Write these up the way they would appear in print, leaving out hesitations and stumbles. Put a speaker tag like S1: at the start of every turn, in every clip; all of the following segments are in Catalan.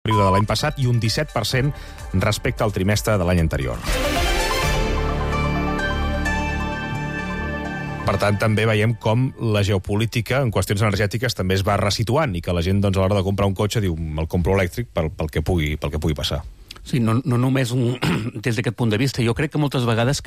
S1: període de l'any passat i un 17% respecte al trimestre de l'any anterior. Per tant, també veiem com la geopolítica en qüestions energètiques també es va resituant i que la gent, doncs, a l'hora de comprar un cotxe diu me'l compro elèctric pel que pugui passar.
S2: Sí, no només des d'aquest punt de vista. Jo crec que moltes vegades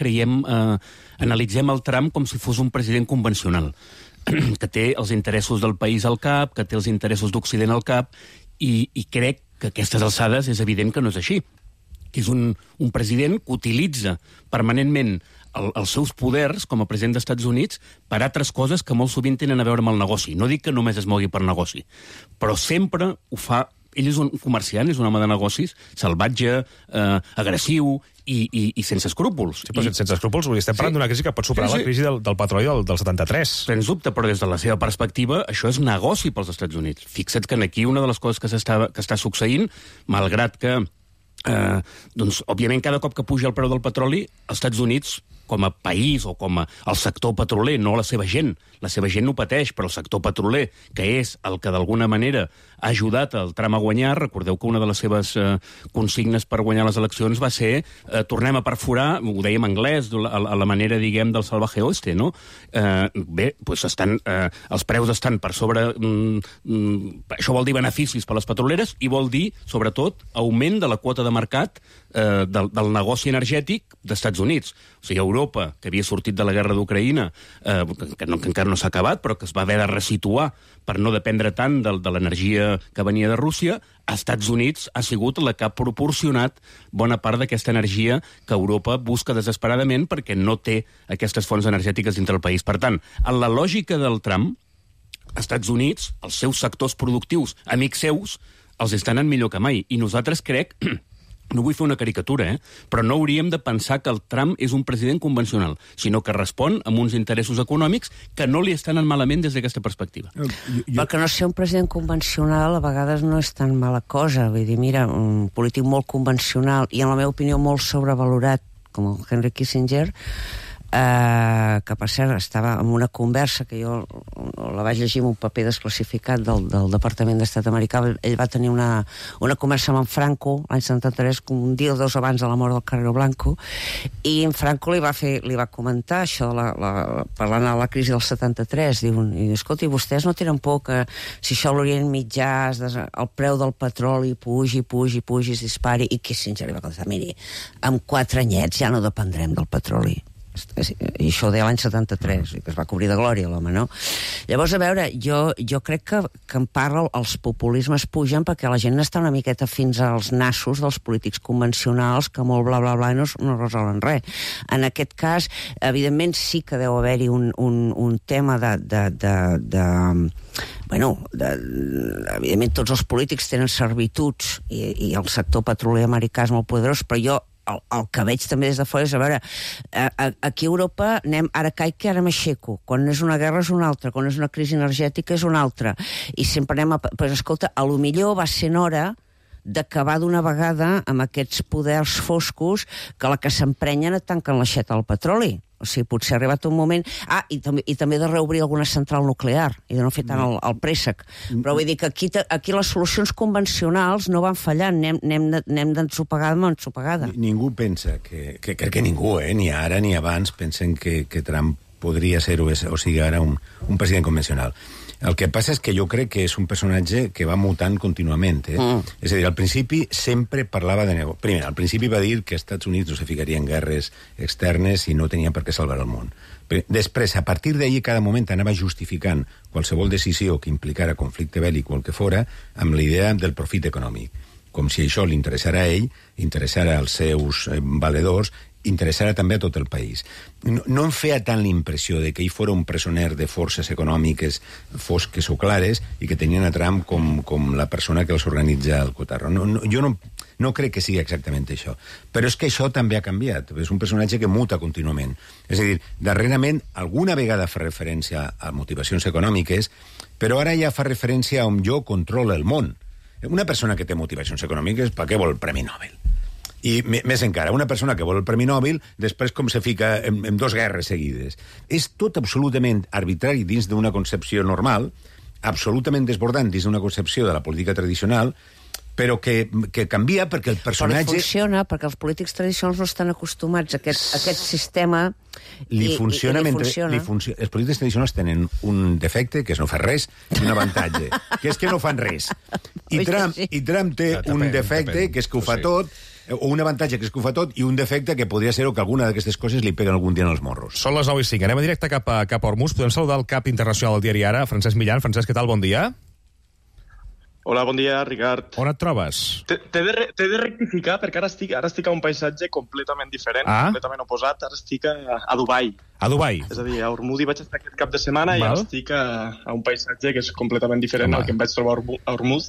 S2: analitzem el Trump com si fos un president convencional, que té els interessos del país al cap, que té els interessos d'Occident al cap, i crec que a aquestes alçades és evident que no és així. Que és un president que utilitza permanentment els seus poders com a president dels Estats Units per altres coses que molt sovint tenen a veure amb el negoci. No dic que només es mogui per negoci, però sempre ho fa. Ell és un comerciant, és un home de negocis, salvatge, agressiu i sense escrúpols.
S1: Sí, però sense escrúpols, estem parlant d'una crisi que pot superar la crisi del petroli del 73.
S2: Sens dubte, però des de la seva perspectiva, això és negoci pels Estats Units. Fixa't que aquí una de les coses que està succeint, malgrat que, doncs, òbviament, cada cop que puja el preu del petroli, els Estats Units, com a país o com el sector petroler, no la seva gent no pateix, però el sector petroler, que és el que d'alguna manera ha ajudat el Trump a guanyar. Recordeu que una de les seves consignes per guanyar les eleccions va ser tornem a perforar, ho dèiem en anglès, a la manera, diguem, del salvaje oeste, no? Bé, doncs els preus estan per sobre... això vol dir beneficis per les petroleres i vol dir, sobretot, augment de la quota de mercat del negoci energètic dels Estats Units. O sigui, Europa, que havia sortit de la guerra d'Ucraïna, que encara no s'ha acabat, però que es va haver de resituar per no dependre tant de l'energia que venia de Rússia, als Estats Units ha sigut la que ha proporcionat bona part d'aquesta energia que Europa busca desesperadament perquè no té aquestes fonts energètiques dintre del país. Per tant, en la lògica del Trump, als Estats Units, els seus sectors productius, amics seus, els estan en millor que mai. I nosaltres crec... No vull fer una caricatura, però no hauríem de pensar que el Trump és un president convencional, sinó que respon a uns interessos econòmics que no li estan malament des d'aquesta perspectiva.
S3: Perquè no ser un president convencional a vegades no és tan mala cosa. Vull dir, mira, un polític molt convencional i, en la meva opinió, molt sobrevalorat, com el Henry Kissinger, que per cert estava en una conversa que jo la vaig llegir en un paper desclassificat del Departament d'Estat americà. Ell va tenir una conversa amb en Franco l'any 73, un dia o dos abans de la mort del Carrero Blanco, i en Franco li va comentar això parlant de la crisi del 73. Diu, escolta, vostès no tenen por que si això a l'Orient Mitjà el preu del petroli pugi, es dispari? I Kissinger li va contestar, miri, amb 4 anyets ja no dependrem del petroli. I això ho deia l'any 73, que es va cobrir de glòria l'home, no? Llavors, a veure, jo crec que en part els populismes pugen perquè la gent està una miqueta fins als nassos dels polítics convencionals que molt bla bla bla no resolen res. En aquest cas, evidentment sí que deu haver-hi un tema evidentment tots els polítics tenen servituds i el sector petroler americà és molt poderós, però jo el que veig també des de fora és, a veure, aquí a Europa anem ara caic que ara m'aixeco, quan és una guerra és una altra, quan és una crisi energètica és una altra, i sempre anem però escolta, a lo millor va ser hora d'acabar d'una vegada amb aquests poders foscos que la que s'emprenyen et tanquen l'aixeta al petroli. O sigui, potser ha arribat un moment... I també de reobrir alguna central nuclear i de no fer tant el préssec. Però vull dir que aquí les solucions convencionals no van fallant, anem d'ensopegada amb ensopegada.
S4: Ningú pensa crec que ningú, ni ara ni abans, pensen que Trump podria ser o sigui ara un president convencional. El que passa és que jo crec que és un personatge que va mutant contínuament. És a dir, al principi sempre parlava de negoci. Primer, al principi va dir que els Estats Units no se ficaria en guerres externes i no tenien per què salvar el món. Després, a partir d'ahir, cada moment anava justificant qualsevol decisió que implicara conflicte bèl·lic o el que fora amb la idea del profit econòmic. Com si això li interessara a ell, interessara als seus valedors, interessarà també a tot el país. No em feia tant l'impressió de que ell fos un presoner de forces econòmiques fosques o clares i que tenien a Trump com la persona que els organitza el cotarro. Jo no crec que sigui exactament això. Però és que això també ha canviat. És un personatge que muta contínuament. És a dir, darrerament alguna vegada fa referència a motivacions econòmiques, però ara ja fa referència a on jo controlo el món. Una persona que té motivacions econòmiques, per què vol el Premi Nobel? I més encara, una persona que vol el Premi Nobel, després com se fica en 2 guerres seguides. És tot absolutament arbitrari dins d'una concepció normal, absolutament desbordant dins d'una concepció de la política tradicional, però que canvia perquè el personatge...
S3: Però funciona, perquè els polítics tradicionals no estan acostumats a aquest sistema
S4: li funciona. Els polítics tradicionals tenen un defecte, que és no fer res, i un avantatge, que és que no fan res. I Trump té un defecte, que és que ho fa tot, o un avantatge, que és que ho fa tot, i un defecte que podria ser que alguna d'aquestes coses li peguen algun dia en els morros.
S1: Són les 9:05. Anem a directe cap a Hormuz. Podem saludar el cap internacional del diari Ara, Francesc Millan. Francesc, què tal? Bon dia.
S5: Hola, bon dia, Ricard.
S1: On et trobes?
S5: T'he de rectificar, perquè ara estic a un paisatge completament diferent, completament oposat. Ara estic a Dubai.
S1: A Dubai?
S5: És a dir, a Hormuz hi vaig estar aquest cap de setmana i ara estic a un paisatge que és completament diferent al que em vaig trobar a Hormuz.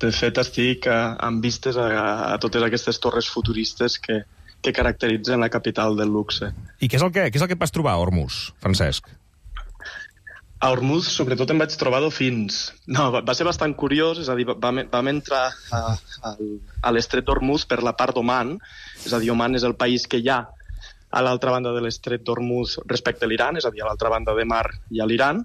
S5: De fet, estic amb vistes a totes aquestes torres futuristes que caracteritzen la capital del luxe.
S1: I què és el que et vas trobar a Hormuz, Francesc?
S5: A Hormuz, sobretot, em vaig trobar dofins. No, va ser bastant curiós, és a dir, vam entrar a l'estret d'Hormuz per la part d'Oman, és a dir, Oman és el país que hi ha a l'altra banda de l'estret d'Hormuz respecte a l'Iran, és a dir, a l'altra banda de mar hi ha l'Iran,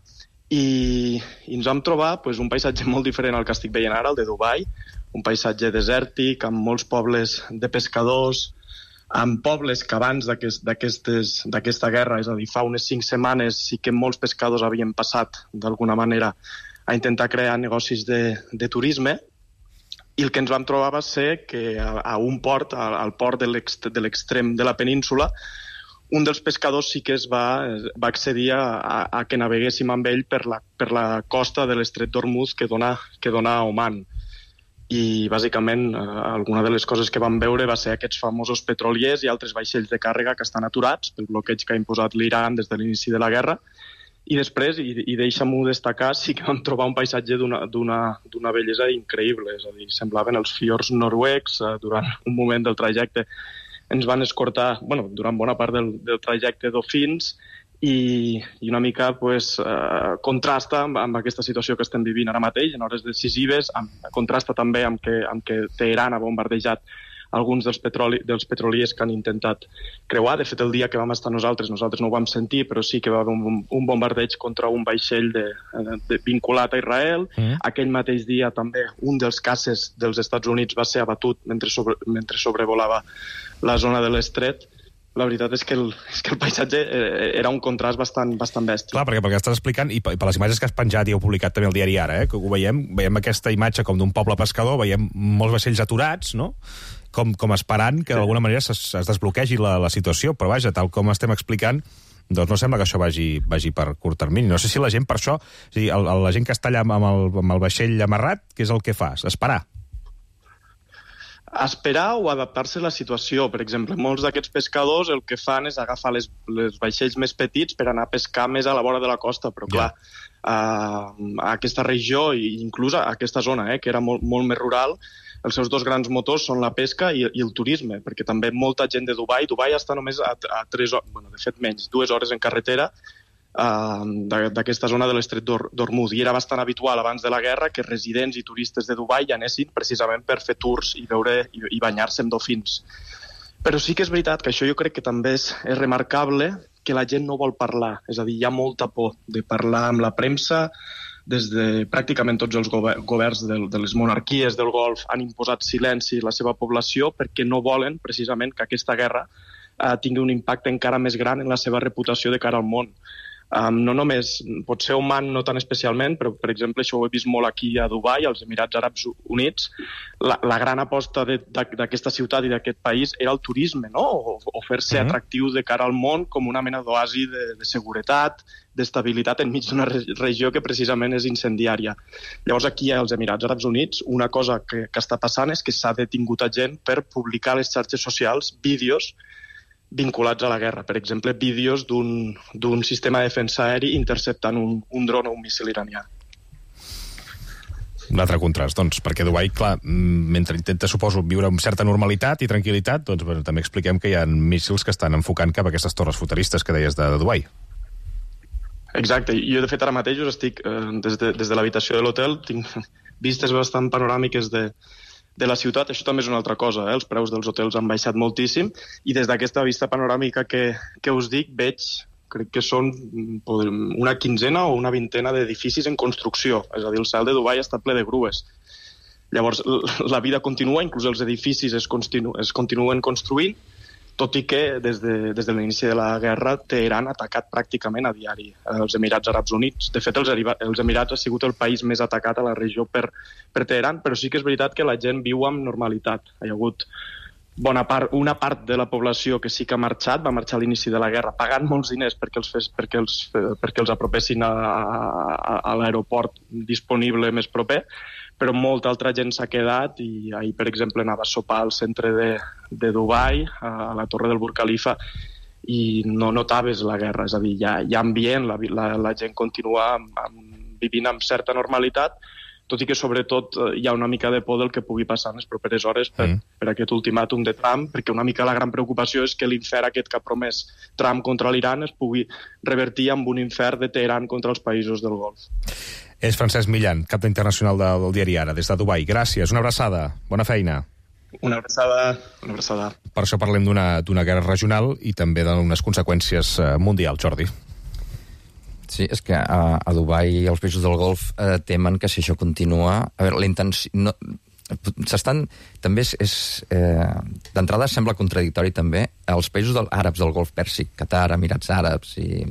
S5: i ens vam trobar un paisatge molt diferent al que estic veient ara, el de Dubai, un paisatge desèrtic, amb molts pobles de pescadors, amb pobles que abans d'aquesta guerra, és a dir, fa unes 5 setmanes, sí que molts pescadors havien passat, d'alguna manera, a intentar crear negocis de turisme, i el que ens vam trobar va ser que a un port, al port de l'extrem de la península, un dels pescadors sí que va accedir a que naveguéssim amb ell per la costa de l'estret d'Hormuz que dona a Oman. I bàsicament alguna de les coses que vam veure va ser aquests famosos petroliers i altres vaixells de càrrega que estan aturats pel bloqueig que ha imposat l'Iran des de l'inici de la guerra. I després, i deixa'm-ho destacar, sí que vam trobar un paisatge d'una bellesa increïble, és a dir, semblaven els fiords noruecs. Durant un moment del trajecte ens van escortar, durant bona part del trajecte, dofins, i una mica contrasta amb aquesta situació que estem vivint ara mateix, en hores decisives, contrasta també amb que Teheran ha bombardejat alguns dels petroliers que han intentat creuar. De fet, el dia que vam estar nosaltres no ho vam sentir, però sí que va haver un bombardeig contra un vaixell vinculat a Israel. Aquell mateix dia també un dels caces dels Estats Units va ser abatut mentre sobrevolava la zona de l'estret. La veritat és que el paisatge era un contrast bastant bèstia.
S1: Clar, perquè estàs explicant, i per les imatges que has penjat i heu publicat també el diari Ara, que ho veiem aquesta imatge com d'un poble pescador, veiem molts vaixells aturats, no?, com esperant que d'alguna manera es desbloquegi la situació, però vaja, tal com estem explicant, doncs no sembla que això vagi per curt termini. No sé si la gent per això, és a dir, la gent que està allà amb el vaixell amarrat, què és el que fa? Esperar
S5: o adaptar-se a la situació. Per exemple, molts d'aquests pescadors el que fan és agafar les vaixells més petits per anar a pescar més a la vora de la costa, però clar, a aquesta regió, i inclús a aquesta zona, que era molt més rural, els seus dos grans motors són la pesca i el turisme, perquè també molta gent de Dubai està només a 3 hores, de fet menys, 2 hores en carretera, d'aquesta zona de l'estret d'Hormuz, i era bastant habitual abans de la guerra que residents i turistes de Dubai anessin precisament per fer tours i veure i banyar-se amb dofins. Però sí que és veritat que això jo crec que també és remarcable, que la gent no vol parlar, és a dir, hi ha molta por de parlar amb la premsa. Des de pràcticament tots els governs de les monarquies del Golf han imposat silenci a la seva població perquè no volen precisament que aquesta guerra tingui un impacte encara més gran en la seva reputació de cara al món. No només, potser Oman no tan especialment, però per exemple això ho he vist molt aquí a Dubai, als Emirats Àrabs Units. La gran aposta d'aquesta ciutat i d'aquest país era el turisme, no? O fer-se atractiu de cara al món com una mena d'oasi de seguretat, d'estabilitat enmig d'una regió que precisament és incendiària. Llavors aquí als Emirats Àrabs Units una cosa que està passant és que s'ha detingut a gent per publicar a les xarxes socials vídeos vinculats a la guerra. Per exemple, vídeos d'un sistema de defensa aeri interceptant un dron o un míssil iranià.
S1: Un altre contrast, doncs, perquè Dubai, clar, mentre intenta, suposo, viure amb certa normalitat i tranquil·litat, doncs també expliquem que hi ha míssils que estan enfocant cap a aquestes torres futuristes que deies de Dubai.
S5: Exacte. Jo, de fet, ara mateix estic des de l'habitació de l'hotel, tinc vistes bastant panoràmiques de la ciutat. Això també és una altra cosa, els preus dels hotels han baixat moltíssim, i des d'aquesta vista panoràmica que us dic, crec que són una quinzena o una vintena d'edificis en construcció, és a dir, el cel de Dubai està ple de grues. Llavors, la vida continua, inclús els edificis es continuen construint, tot i que des de l'inici de la guerra Teheran ha atacat pràcticament a diari els Emirats Àrabs Units. De fet, els Emirats ha sigut el país més atacat a la regió per Teheran, però sí que és veritat que la gent viu amb normalitat. Hi ha hagut una part de la població que sí que ha marxat, va marxar a l'inici de la guerra pagant molts diners perquè els apropessin a l'aeroport disponible més proper, però molta altra gent s'ha quedat i ahir, per exemple, anava a sopar al centre de Dubai, a la Torre del Burj Khalifa, i no notaves la guerra, és a dir, hi ha ambient, la gent continua vivint amb certa normalitat, tot i que sobretot hi ha una mica de por del que pugui passar en les properes hores per aquest ultimàtum de Trump, perquè una mica la gran preocupació és que l'infern aquest que ha promès Trump contra l'Iran es pugui revertir amb un infern de Teheran contra els països del Golf.
S1: És Francesc Millan, cap internacional del diari Ara, des de Dubai. Gràcies, una abraçada, bona feina.
S5: Una abraçada.
S1: Per això parlem d'una guerra regional i també d'unes conseqüències mundials, Jordi.
S6: Sí, és que a Dubai i als països del Golf temen que si això continua... A veure, la intenció... No, també d'entrada sembla contradictori també els països àrabs del Golf Pèrsic, Qatar, Emirats Àrabs, i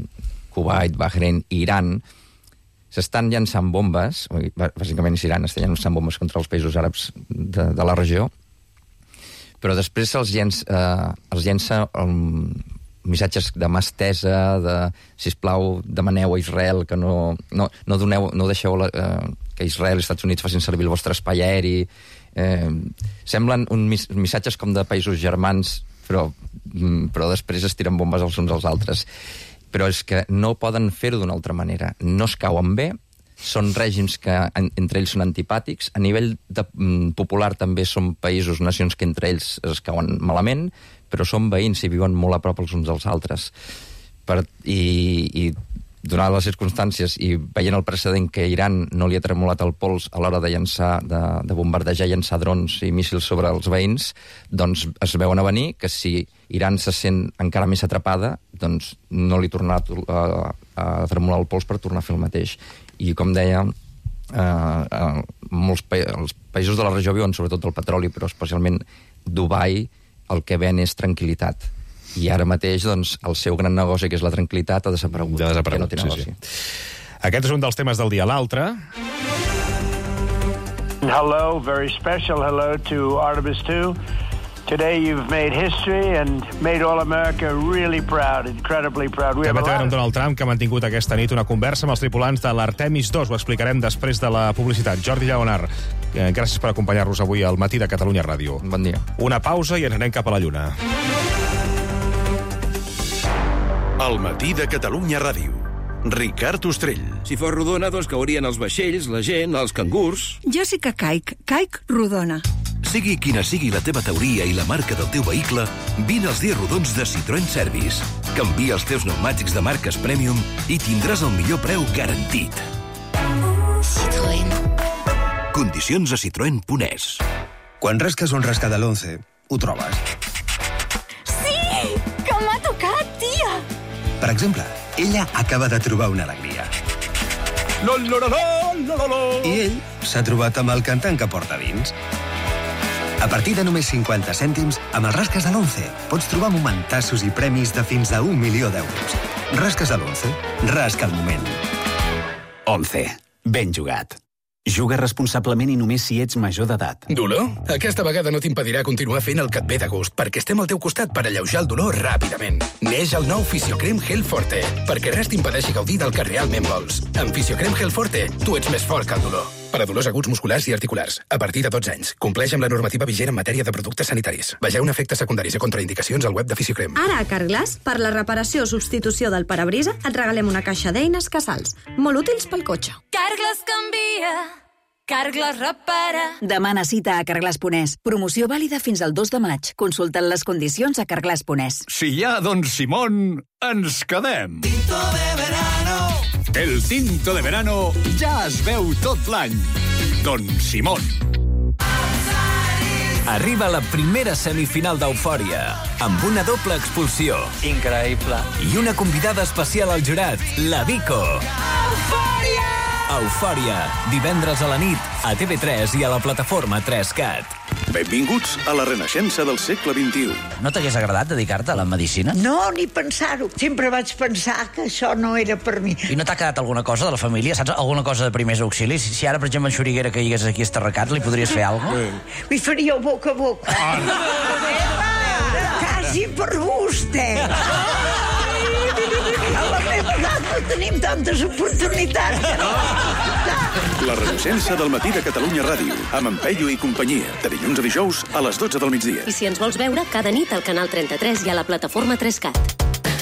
S6: Kuwait, Bahrein i Iran, s'estan llançant bombes, bàsicament és Iran, estan llançant bombes contra els països àrabs de la regió, però després els llença missatges de mà estesa, de, sisplau, demaneu a Israel que no deixeu que Israel i Estats Units facin servir el vostre espai aeri. Semblen missatges com de països germans, però després es tiren bombes els uns als altres. Però és que no poden fer-ho d'una altra manera. No es cauen bé, són règims que entre ells són antipàtics, a nivell popular també són països, nacions que entre ells es cauen malament, però són veïns i viuen molt a prop els uns dels altres. I donades les circumstàncies i veient el precedent que Iran no li ha tremolat el pols a l'hora de bombardejar i llançar drons i míssils sobre els veïns, doncs es veuen a venir que si Iran se sent encara més atrapada, doncs no li tornarà a tremolar el pols per tornar a fer el mateix. I com deia, els països de la regió viuen sobretot del petroli, però especialment Dubai el que ven és tranquil·litat. I ara mateix, doncs, el seu gran negoci, que és la tranquil·litat, ha desaparegut. Que no té negoci.
S1: Aquest és un dels temes del dia. L'altre...
S7: Hello, very special hello to Artemis 2. Today you've made history and made all America really proud, incredibly proud.
S1: També tenim Donald Trump, que ha mantingut aquesta nit una conversa amb els tripulants de l'Artemis 2. Ho explicarem després de la publicitat. Jordi Lleonard, gràcies per acompanyar-nos avui al Matí de Catalunya Ràdio.
S6: Bon dia.
S1: Una pausa i ens anem cap a la Lluna.
S8: El Matí de Catalunya Ràdio. Ricard Ostrell.
S9: Si fos rodona, doncs caurien els vaixells, la gent, els cangurs...
S10: Jo sí que caic rodona.
S8: Sigui quina sigui la teva teoria i la marca del teu vehicle, vine als dies rodons de Citroën Service. Canvia els teus pneumàtics de marques Premium i tindràs el millor preu garantit.
S11: Citroën.
S8: Condicions a citroen.es.
S12: Quan rasques un rasca de l'11, ho trobes.
S11: Sí! Que m'ha tocat, tia!
S12: Per exemple, ella acaba de trobar una alegria. I ell s'ha trobat amb el cantant que porta dins. A partir de només 50 cèntims, amb els rasques de l'11 pots trobar momentassos i premis de fins a 1 milió d'euros. Rasques de l'11. Rasca el moment.
S13: 11. Ben jugat. Juga responsablement i només si ets major d'edat.
S14: Dolor? Aquesta vegada no t'impedirà continuar fent el que et ve de gust, perquè estem al teu costat per alleujar el dolor ràpidament. Neix el nou Fisiocrem Gel Forte, perquè res t'impedeixi gaudir del que realment vols. Amb Fisiocrem Gel Forte, tu ets més fort que el dolor. Per a dolors aguts musculars i articulars, a partir de 12 anys. Compleix amb la normativa vigent en matèria de productes sanitaris. Vegeu efectes secundaris i contraindicacions al web de Fisiocrem.
S15: Ara a Carglass, per la reparació o substitució del parabrisa, et regalem una caixa d'eines Casals, molt útils pel cotxe.
S11: Carglass canvia. Carglass repara.
S16: Demana cita a Carglass.es. Promoció vàlida fins al 2 de maig. Consulta't les condicions a Carglass.es.
S17: Si hi ha Don Simón, ens quedem.
S18: Tinto de verano.
S17: El tinto de verano ja es veu tot l'any. Don Simón.
S19: Arriba la primera semifinal d'Eufòria, amb una doble expulsió.
S20: Increïble.
S19: I una convidada especial al jurat, la Vico.
S18: Eufòria!
S19: Eufòria, divendres a la nit, a TV3 i a la plataforma 3CAT.
S17: Benvinguts a la renaixença del segle XXI.
S18: No t'hagués agradat dedicar-te a la medicina?
S20: No, ni pensar-ho. Sempre vaig pensar que això no era per mi.
S18: I no t'ha quedat alguna cosa de la família? Saps? Alguna cosa de primers auxilis? Si ara, per exemple, en Xuriguera que hagués aquí estarracat, li podries fer alguna cosa?
S20: Li faríeu boca a boca. Quasi per gust, A la meva edat no tenim tantes oportunitats que no.
S17: La renaixença del matí de Catalunya Ràdio, amb en Peyu i companyia, de dilluns a dijous a les 12 del migdia.
S21: I si ens vols veure, cada nit al canal 33 i a la plataforma 3CAT.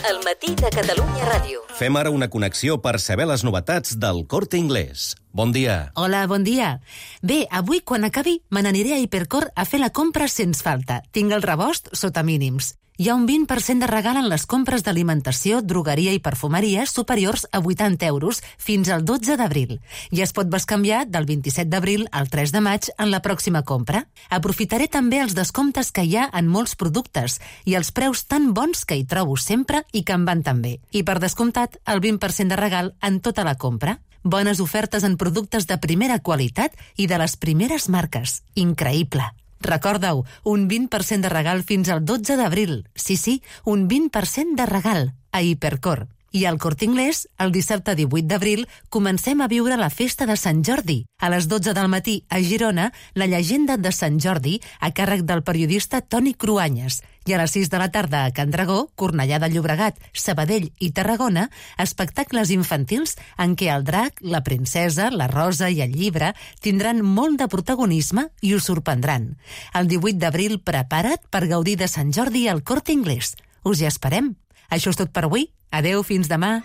S21: El matí de Catalunya Ràdio.
S22: Fem ara una connexió per saber les novetats del Corte Inglés. Bon dia.
S23: Hola, bon dia. Bé, avui, quan acabi, me n'aniré a Hipercor a fer la compra sens falta. Tinc el rebost sota mínims. Hi ha un 20% de regal en les compres d'alimentació, drogueria i perfumeria superiors a 80 euros fins al 12 d'abril. I es pot bescanviar del 27 d'abril al 3 de maig en la pròxima compra. Aprofitaré també els descomptes que hi ha en molts productes i els preus tan bons que hi trobo sempre i que em van tan bé. I per descomptat, el 20% de regal en tota la compra. Bones ofertes en productes de primera qualitat i de les primeres marques. Increïble. Recorda-ho, un 20% de regal fins al 12 d'abril. Sí, un 20% de regal a Hipercor. I al Corte Inglés, el dissabte 18 d'abril, comencem a viure la festa de Sant Jordi. A les 12 del matí, a Girona, la llegenda de Sant Jordi, a càrrec del periodista Toni Cruanyes. I a les 6 de la tarda a Can Dragó, Cornellà de Llobregat, Sabadell i Tarragona, espectacles infantils en què el drac, la princesa, la rosa i el llibre tindran molt de protagonisme i us sorprendran. El 18 d'abril, prepara't per gaudir de Sant Jordi al Corte Inglés. Us hi esperem. Això és tot per avui. Adeu, fins demà.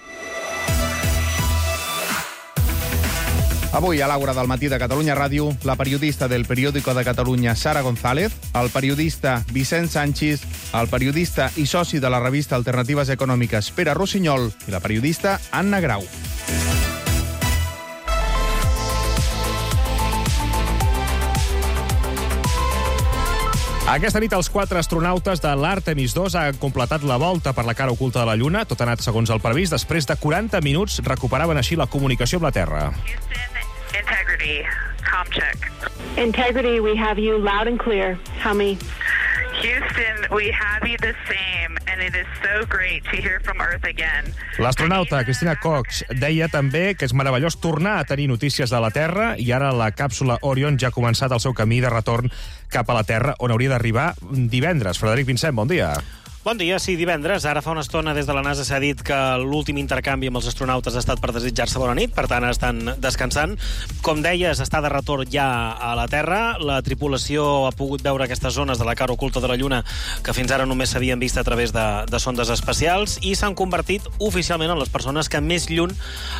S24: Avui, a l'Aura del matí de Catalunya Ràdio, la periodista del Periódico de Catalunya, Sara González, el periodista Vicent Sanchis, el periodista i soci de la revista Alternatives Econòmiques, Pere Rossinyol, i la periodista Anna Grau.
S1: Aquesta nit els 4 astronautes de l'Artemis 2 han completat la volta per la cara oculta de la Lluna. Tot ha anat segons el previst. Després de 40 minuts recuperaven així la comunicació amb la Terra.
S25: Integrity, com check. Integrity, we have you loud and clear. Tell me.
S26: Houston, we have you the same, and it is so great to hear from Earth again.
S1: L'astronauta Cristina Cox deia també que és meravellós tornar a tenir notícies de la Terra i ara la càpsula Orion ja ha començat el seu camí de retorn cap a la Terra, on hauria d'arribar divendres. Frederic Vincent, bon dia.
S27: Bon dia, sí, divendres. Ara fa una estona des de la NASA s'ha dit que l'últim intercanvi amb els astronautes ha estat per desitjar-se bona nit, per tant estan descansant. Com deies, està de retorn ja a la Terra. La tripulació ha pogut veure aquestes zones de la cara oculta de la Lluna que fins ara només s'havien vist a través de sondes espacials i s'han convertit oficialment en les persones que més lluny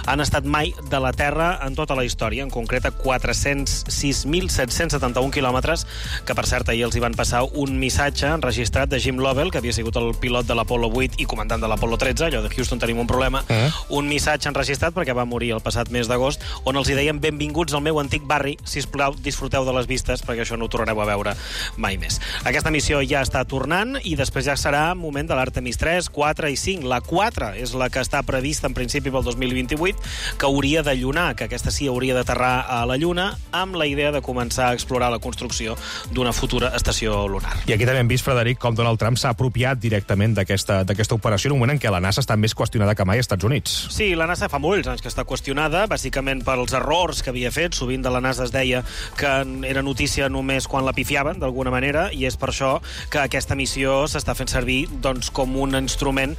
S27: han estat mai de la Terra en tota la història, en concret a 406.771 quilòmetres, que per cert ahir els hi van passar un missatge enregistrat de Jim Lovell, que havia sigut el pilot de l'Apollo 8 i comandant de l'Apollo 13, allò de Houston tenim un problema, un missatge enregistrat perquè va morir el passat mes d'agost, on els hi deien benvinguts al meu antic barri, sisplau, disfruteu de les vistes perquè això no ho tornareu a veure mai més. Aquesta missió ja està tornant i després ja serà moment de l'Artemis 3, 4 i 5. La 4 és la que està prevista en principi pel 2028, que hauria de llunar, que aquesta sí hauria d'aterrar a la Lluna amb la idea de començar a explorar la construcció d'una futura estació lunar.
S1: I aquí també hem vist, Frederic, com Donald Trump s'ha apropiat directament d'aquesta operació en un moment en què la NASA està més qüestionada que mai als Estats Units.
S27: Sí, la NASA fa molts anys que està qüestionada, bàsicament pels errors que havia fet. Sovint de la NASA es deia que era notícia només quan la pifiaven, d'alguna manera, i és per això que aquesta missió s'està fent servir doncs, com un instrument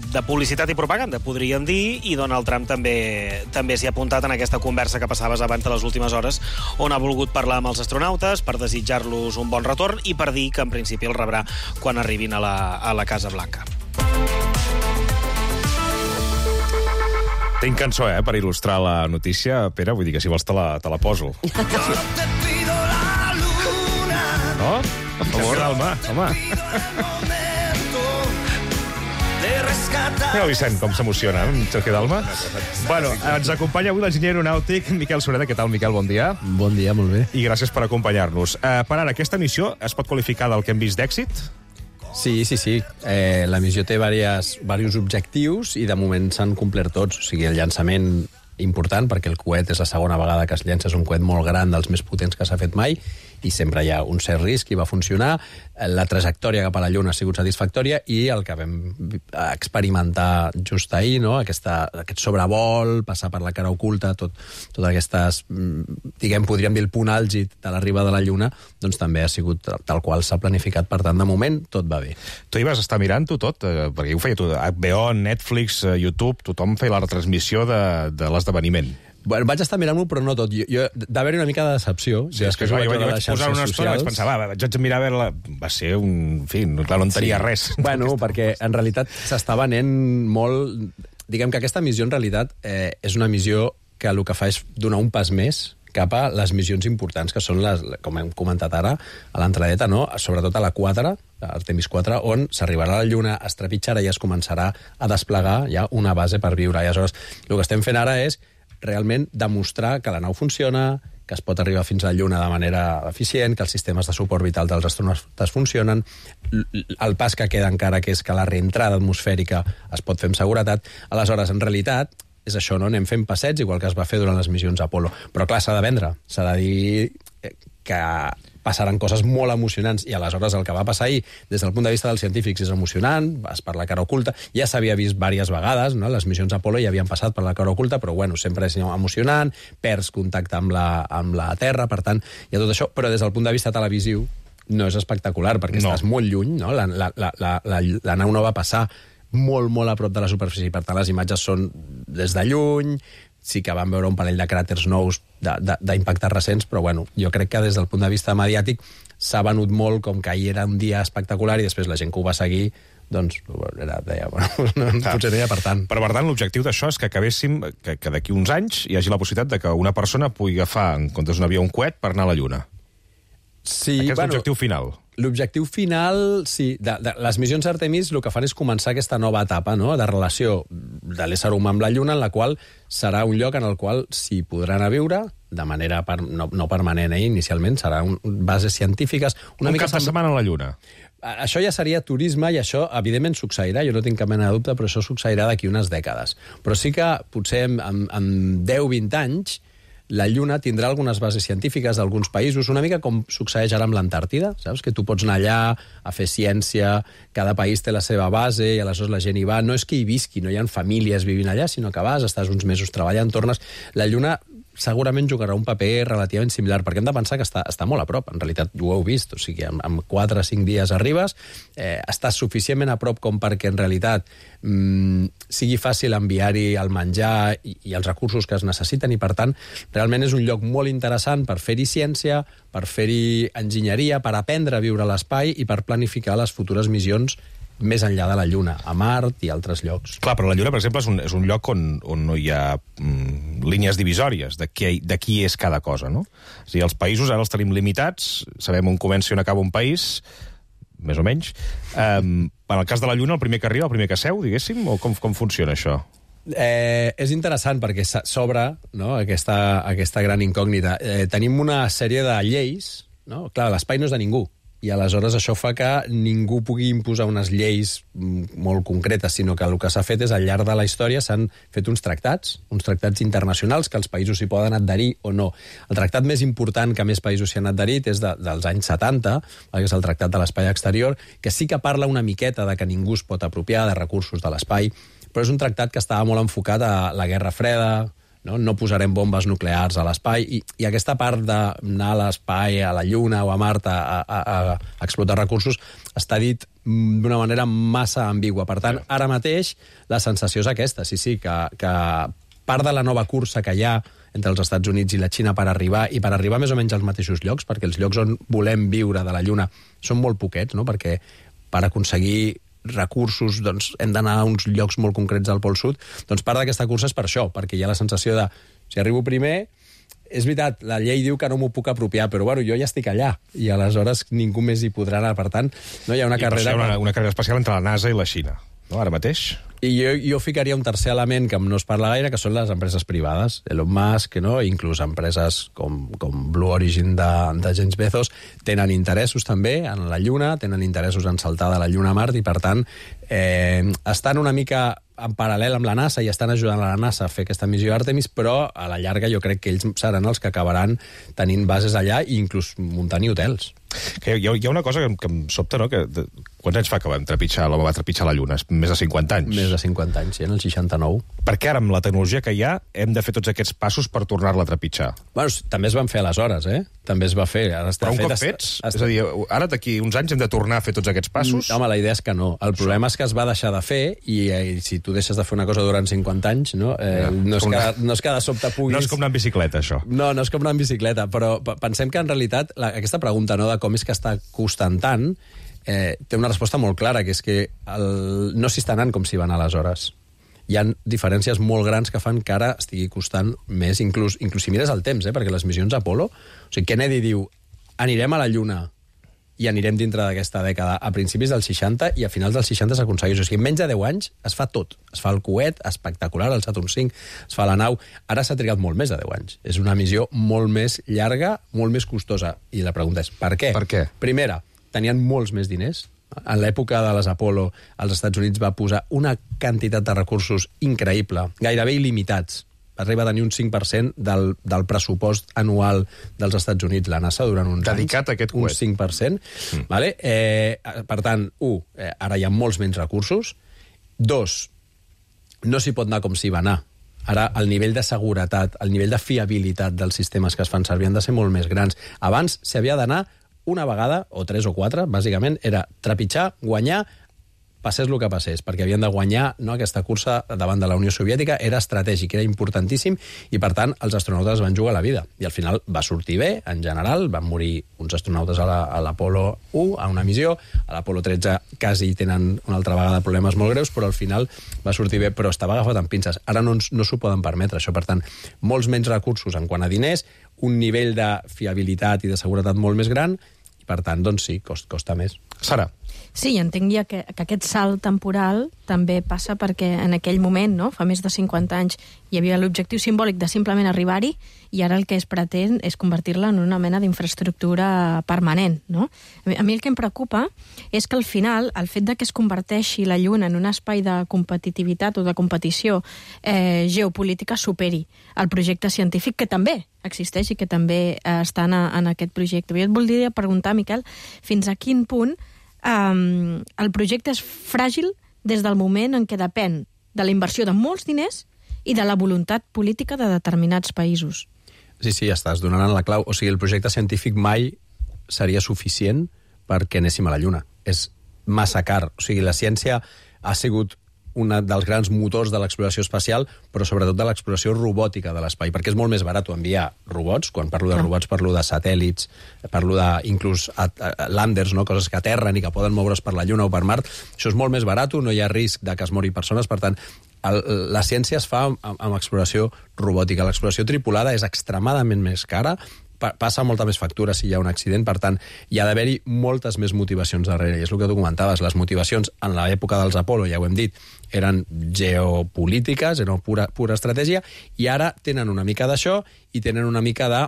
S27: de publicitat i propaganda, podríem dir, i Donald Trump també s'hi ha apuntat en aquesta conversa que passaves abans de les últimes hores, on ha volgut parlar amb els astronautes per desitjar-los un bon retorn i per dir que en principi el rebrà quan arribin a la Casa Blanca.
S1: Tinc cançó, per il·lustrar la notícia, Pere, vull dir que si vols te la poso. No? Per favor, home. Mira, Vicent, com s'emociona, Sergio Dalma. Bueno, ens acompanya avui l'enginyer aeronàutic Miquel Sureda. Què tal, Miquel? Bon dia.
S28: Bon dia, molt bé.
S1: I gràcies per acompanyar-nos. Per ara, aquesta missió es pot qualificar del que hem vist d'èxit?
S28: Sí. La missió té diversos objectius i de moment s'han complert tots. O sigui, el llançament important, perquè el coet és la segona vegada que es llença, és un coet molt gran, dels més potents que s'ha fet mai, i sempre hi ha un cert risc i va funcionar. La trajectòria cap a la Lluna ha sigut satisfactòria i el que vam experimentar just ahir, no? Aquest sobrevol, passar per la cara oculta, totes aquestes, podríem dir el punt àlgid de l'arribada de la Lluna, doncs també ha sigut tal qual s'ha planificat. Per tant, de moment, tot va bé.
S1: Tu hi vas estar mirant-ho tot? Perquè ho feia tot. HBO, Netflix, YouTube, tothom feia la retransmissió de l'esdeveniment.
S28: Bueno, vaig estar mirant-ho, però no tot. D'haver-hi una mica de decepció.
S1: Sí, és que jo vaig posar una estona i vaig pensar, vaig mirar a veure-la. Va ser un... En fi, clar, no en tenia res.
S28: Bueno, perquè en realitat s'està venent molt... Diguem que aquesta missió, en realitat, és una missió que el que fa és donar un pas més cap a les missions importants, que són, com hem comentat ara, a l'entradeta, no? Sobretot a la 4, Artemis 4, on s'arribarà a la Lluna, es trepitjarà i es començarà a desplegar ja una base per viure. I aleshores, el que estem fent ara és realment demostrar que la nau funciona, que es pot arribar fins a la Lluna de manera eficient, que els sistemes de suport vital dels astronautes funcionen, el pas que queda encara, que és que la reentrada atmosfèrica es pot fer amb seguretat. Aleshores, en realitat, és això, no? Anem fent passets, igual que es va fer durant les missions Apollo. Però clar, s'ha de vendre, s'ha de dir que passaran coses molt emocionants, i aleshores el que va passar ahir, des del punt de vista dels científics, és emocionant, vas per la cara oculta, ja s'havia vist diverses vegades, no? Les missions Apollo ja havien passat per la cara oculta, però bueno, sempre és emocionant, perds contacte amb la Terra, per tant, hi ha tot això, però des del punt de vista televisiu no és espectacular, perquè estàs molt lluny, no? La nau no va passar molt, molt a prop de la superfície, per tant les imatges són des de lluny, sí que vam veure un parell de cràters nous d'impactes recents, però bueno, jo crec que des del punt de vista mediàtic s'ha venut molt com que ahir era un dia espectacular i després la gent que ho va seguir doncs deia, potser no hi ha per tant.
S1: Però per tant, l'objectiu d'això és que acabéssim, que d'aquí uns anys hi hagi la possibilitat de que una persona pugui agafar, en comptes d'un avió, un coet per anar a la Lluna.
S28: Sí,
S1: aquest és l'objectiu final.
S28: L'objectiu final, sí. Les missions Artemis el que fan és començar aquesta nova etapa, no?, de relació de l'ésser humà amb la Lluna, en la qual serà un lloc en el qual s'hi podran a viure de manera no permanent, inicialment, seran bases científiques.
S1: Un cap de setmana a la Lluna.
S28: Això ja seria turisme i això, evidentment, succeirà. Jo no tinc cap mena de dubte, però això succeirà d'aquí unes dècades. Però sí que, potser, en 10-20 anys, la Lluna tindrà algunes bases científiques d'alguns països, una mica com succeeix ara amb l'Antàrtida, saps? Que tu pots anar allà a fer ciència, cada país té la seva base i aleshores la gent hi va. No és que hi visqui, no hi ha famílies vivint allà, sinó que vas, estàs uns mesos treballant, tornes. La Lluna segurament jugarà un paper relativament similar, perquè hem de pensar que està molt a prop. En realitat ho heu vist, o sigui, en 4 o 5 dies arribes, estàs suficientment a prop com perquè en realitat sigui fàcil enviar-hi el menjar i els recursos que es necessiten, i per tant realment és un lloc molt interessant per fer-hi ciència, per fer-hi enginyeria, per aprendre a viure a l'espai i per planificar les futures missions més enllà de la Lluna, a Mart i altres llocs.
S1: Clar, però la Lluna, per exemple, és un lloc on no hi ha línies divisòries de qui és cada cosa, no? És a dir, els països ara els tenim limitats, sabem on comença i on acaba un país, més o menys. En el cas de la Lluna, el primer que arriba, el primer que seu, diguéssim, o com funciona això?
S28: És interessant perquè s'obre, no?, aquesta gran incògnita. Tenim una sèrie de lleis, no? Clar, l'espai no és de ningú, i aleshores això fa que ningú pugui imposar unes lleis molt concretes, sinó que el que s'ha fet és, al llarg de la història, s'han fet uns tractats internacionals que els països s'hi poden adherir o no. El tractat més important que més països s'hi han adherit és dels anys 70, que és el Tractat de l'Espai Exterior, que sí que parla una miqueta de que ningú es pot apropiar de recursos de l'espai, però és un tractat que estava molt enfocat a la Guerra Freda, no posarem bombes nuclears a l'espai, i aquesta part d'anar a l'espai, a la Lluna o a Mart a explotar recursos està dit d'una manera massa ambigua. Per tant, ara mateix la sensació és aquesta, sí, que part de la nova cursa que hi ha entre els Estats Units i la Xina per arribar més o menys als mateixos llocs, perquè els llocs on volem viure de la Lluna són molt poquets, no? Perquè per aconseguir recursos, doncs hem d'anar a uns llocs molt concrets del Pol Sud, doncs part d'aquesta cursa és per això, perquè hi ha la sensació de, si arribo primer, és veritat, la llei diu que no m'ho puc apropiar, però bueno, jo ja estic allà, i aleshores ningú més hi podrà anar, per tant, no hi ha una carrera...
S1: Una carrera especial entre la NASA i la Xina, no?, ara mateix.
S28: I jo ficaria un tercer element que no es parla gaire, que són les empreses privades. Elon Musk, no?, inclús empreses com Blue Origin de James Bezos, tenen interessos també en la Lluna, tenen interessos en saltar de la Lluna a Mart, i per tant estan una mica en paral·lel amb la NASA i estan ajudant a la NASA a fer aquesta missió Artemis, però a la llarga jo crec que ells seran els que acabaran tenint bases allà i inclús muntant-hi hotels.
S1: Que hi ha una cosa que em sobta, no? Quants anys fa que l'home va trepitjar la Lluna? Més de 50 anys.
S28: Més de 50 anys, sí, en el 69.
S1: Per què ara, amb la tecnologia que hi ha, hem de fer tots aquests passos per tornar-la a trepitjar?
S28: Bueno, també es van fer aleshores, També es va fer.
S1: Però un cop fets? És a dir, ara d'aquí uns anys hem de tornar a fer tots aquests passos?
S28: Home, la idea és que no. El problema és que es va deixar de fer i si tu deixes de fer una cosa durant 50 anys, no és que de sobte puguis...
S1: No és com anar en bicicleta, això.
S28: No és com anar en bicicleta, però pensem que en realitat aquesta pregunta, no, de com és que està costant tant, té una resposta molt clara, que és que no s'hi està anant com s'hi van aleshores. Hi ha diferències molt grans que fan que ara estigui costant més, inclús si mires el temps, perquè les missions Apollo... O sigui, Kennedy diu, anirem a la Lluna i anirem dintre d'aquesta dècada, a principis dels 60 i a finals dels 60 s'aconsegueix. O sigui, en menys de 10 anys es fa tot. Es fa el coet, espectacular, el Saturn V, es fa la nau. Ara s'ha trigat molt més de 10 anys. És una missió molt més llarga, molt més costosa. I la pregunta és, per què?
S1: Per què?
S28: Primera, tenien molts més diners. En l'època de les Apollo, els Estats Units va posar una quantitat de recursos increïble, gairebé il·limitats. Arriba a tenir un 5% del pressupost anual dels Estats Units, la NASA, durant uns
S1: dedicat
S28: anys.
S1: A aquest coet.
S28: Un 5%. Vale? Per tant, ara hi ha molts menys recursos. 2, no s'hi pot anar com s'hi va anar. Ara, el nivell de seguretat, el nivell de fiabilitat dels sistemes que es fan servir han de ser molt més grans. Abans s'hi havia d'anar una vegada, o 3 o 4, bàsicament, era trepitjar, guanyar, passés el que passés, perquè havien de guanyar, no, aquesta cursa davant de la Unió Soviètica, era estratègic, era importantíssim, i per tant els astronautes van jugar la vida. I al final va sortir bé, en general, van morir uns astronautes a l'Apollo 1, a una missió, a l'Apollo 13 quasi tenen una altra vegada problemes molt greus, però al final va sortir bé, però estava agafat amb pinces. Ara no s'ho poden permetre, això. Per tant, molts menys recursos en quant a diners, un nivell de fiabilitat i de seguretat molt més gran, i per tant, doncs sí, costa més.
S1: Sara.
S2: Sí, entenc ja que aquest salt temporal també passa perquè en aquell moment, no, fa més de 50 anys, hi havia l'objectiu simbòlic de simplement arribar-hi i ara el que es pretén és convertir-la en una mena d'infraestructura permanent, no? A mi el que em preocupa és que al final el fet de que es converteixi la Lluna en un espai de competitivitat o de competició geopolítica superi el projecte científic que també existeix i que també està en aquest projecte. Jo et voldria preguntar, Miquel, fins a quin punt el projecte és fràgil des del moment en què depèn de la inversió de molts diners i de la voluntat política de determinats països.
S28: Sí, estàs donant la clau. O sigui, el projecte científic mai seria suficient perquè anéssim a la Lluna. És massa car. O sigui, la ciència ha sigut un dels grans motors de l'exploració espacial, però sobretot de l'exploració robòtica de l'espai, perquè és molt més barat enviar robots. Quan parlo de robots parlo de satèl·lits, parlo d'inclús landers, no? Coses que aterren i que poden moure's per la Lluna o per Mart. Això és molt més barat, no hi ha risc de que es mori persones, per tant, la ciència es fa amb exploració robòtica. L'exploració tripulada és extremadament més cara, passa molta més factura si hi ha un accident, per tant, hi ha d'haver-hi moltes més motivacions darrere, i és el que tu comentaves, les motivacions en l'època dels Apollo, ja ho hem dit, eren geopolítiques, eren pura estratègia, i ara tenen una mica d'això i tenen una mica de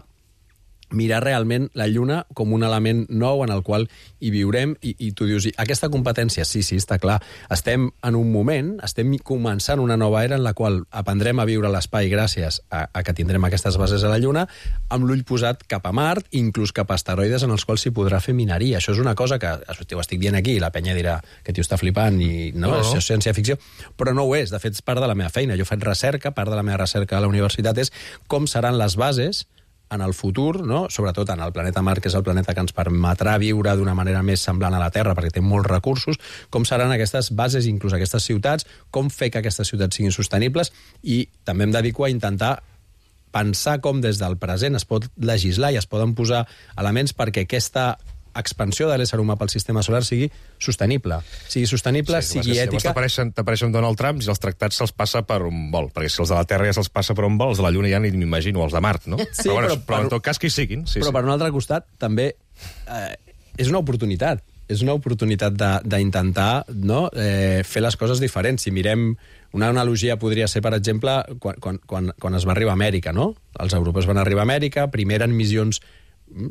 S28: mirar realment la Lluna com un element nou en el qual hi viurem, i tu dius, aquesta competència, sí, està clar, estem en un moment, estem començant una nova era en la qual aprendrem a viure l'espai gràcies a que tindrem aquestes bases a la Lluna, amb l'ull posat cap a Mart, inclús cap a asteroides en els quals s'hi podrà fer mineria. Això és una cosa que ho estic dient aquí, i la penya dirà que tio està flipant, i no, això és ciència-ficció, però no ho és, de fet és part de la meva feina. Jo faig recerca, part de la meva recerca a la universitat és com seran les bases en el futur, no? Sobretot en el planeta Mart, que és el planeta que ens permetrà viure d'una manera més semblant a la Terra, perquè té molts recursos, com seran aquestes bases, inclús aquestes ciutats, com fer que aquestes ciutats siguin sostenibles, i també em dedico a intentar pensar com des del present es pot legislar i es poden posar elements perquè aquesta expansió de l'ésser humà pel sistema solar sigui sostenible, sigui ètica.
S1: T'apareixen Donald Trump i els tractats se'ls passa per un vol, perquè si els de la Terra ja se'ls passa per un vol, els de la Lluna ja ni m'imagino, els de Mart, no?
S28: Sí,
S1: però en tot cas que hi siguin.
S28: Però per un altre costat també és una oportunitat. És una oportunitat d'intentar fer les coses diferents. Si mirem, una analogia podria ser, per exemple, quan es va arribar a Amèrica, no? Els europeus van arribar a Amèrica, primer eren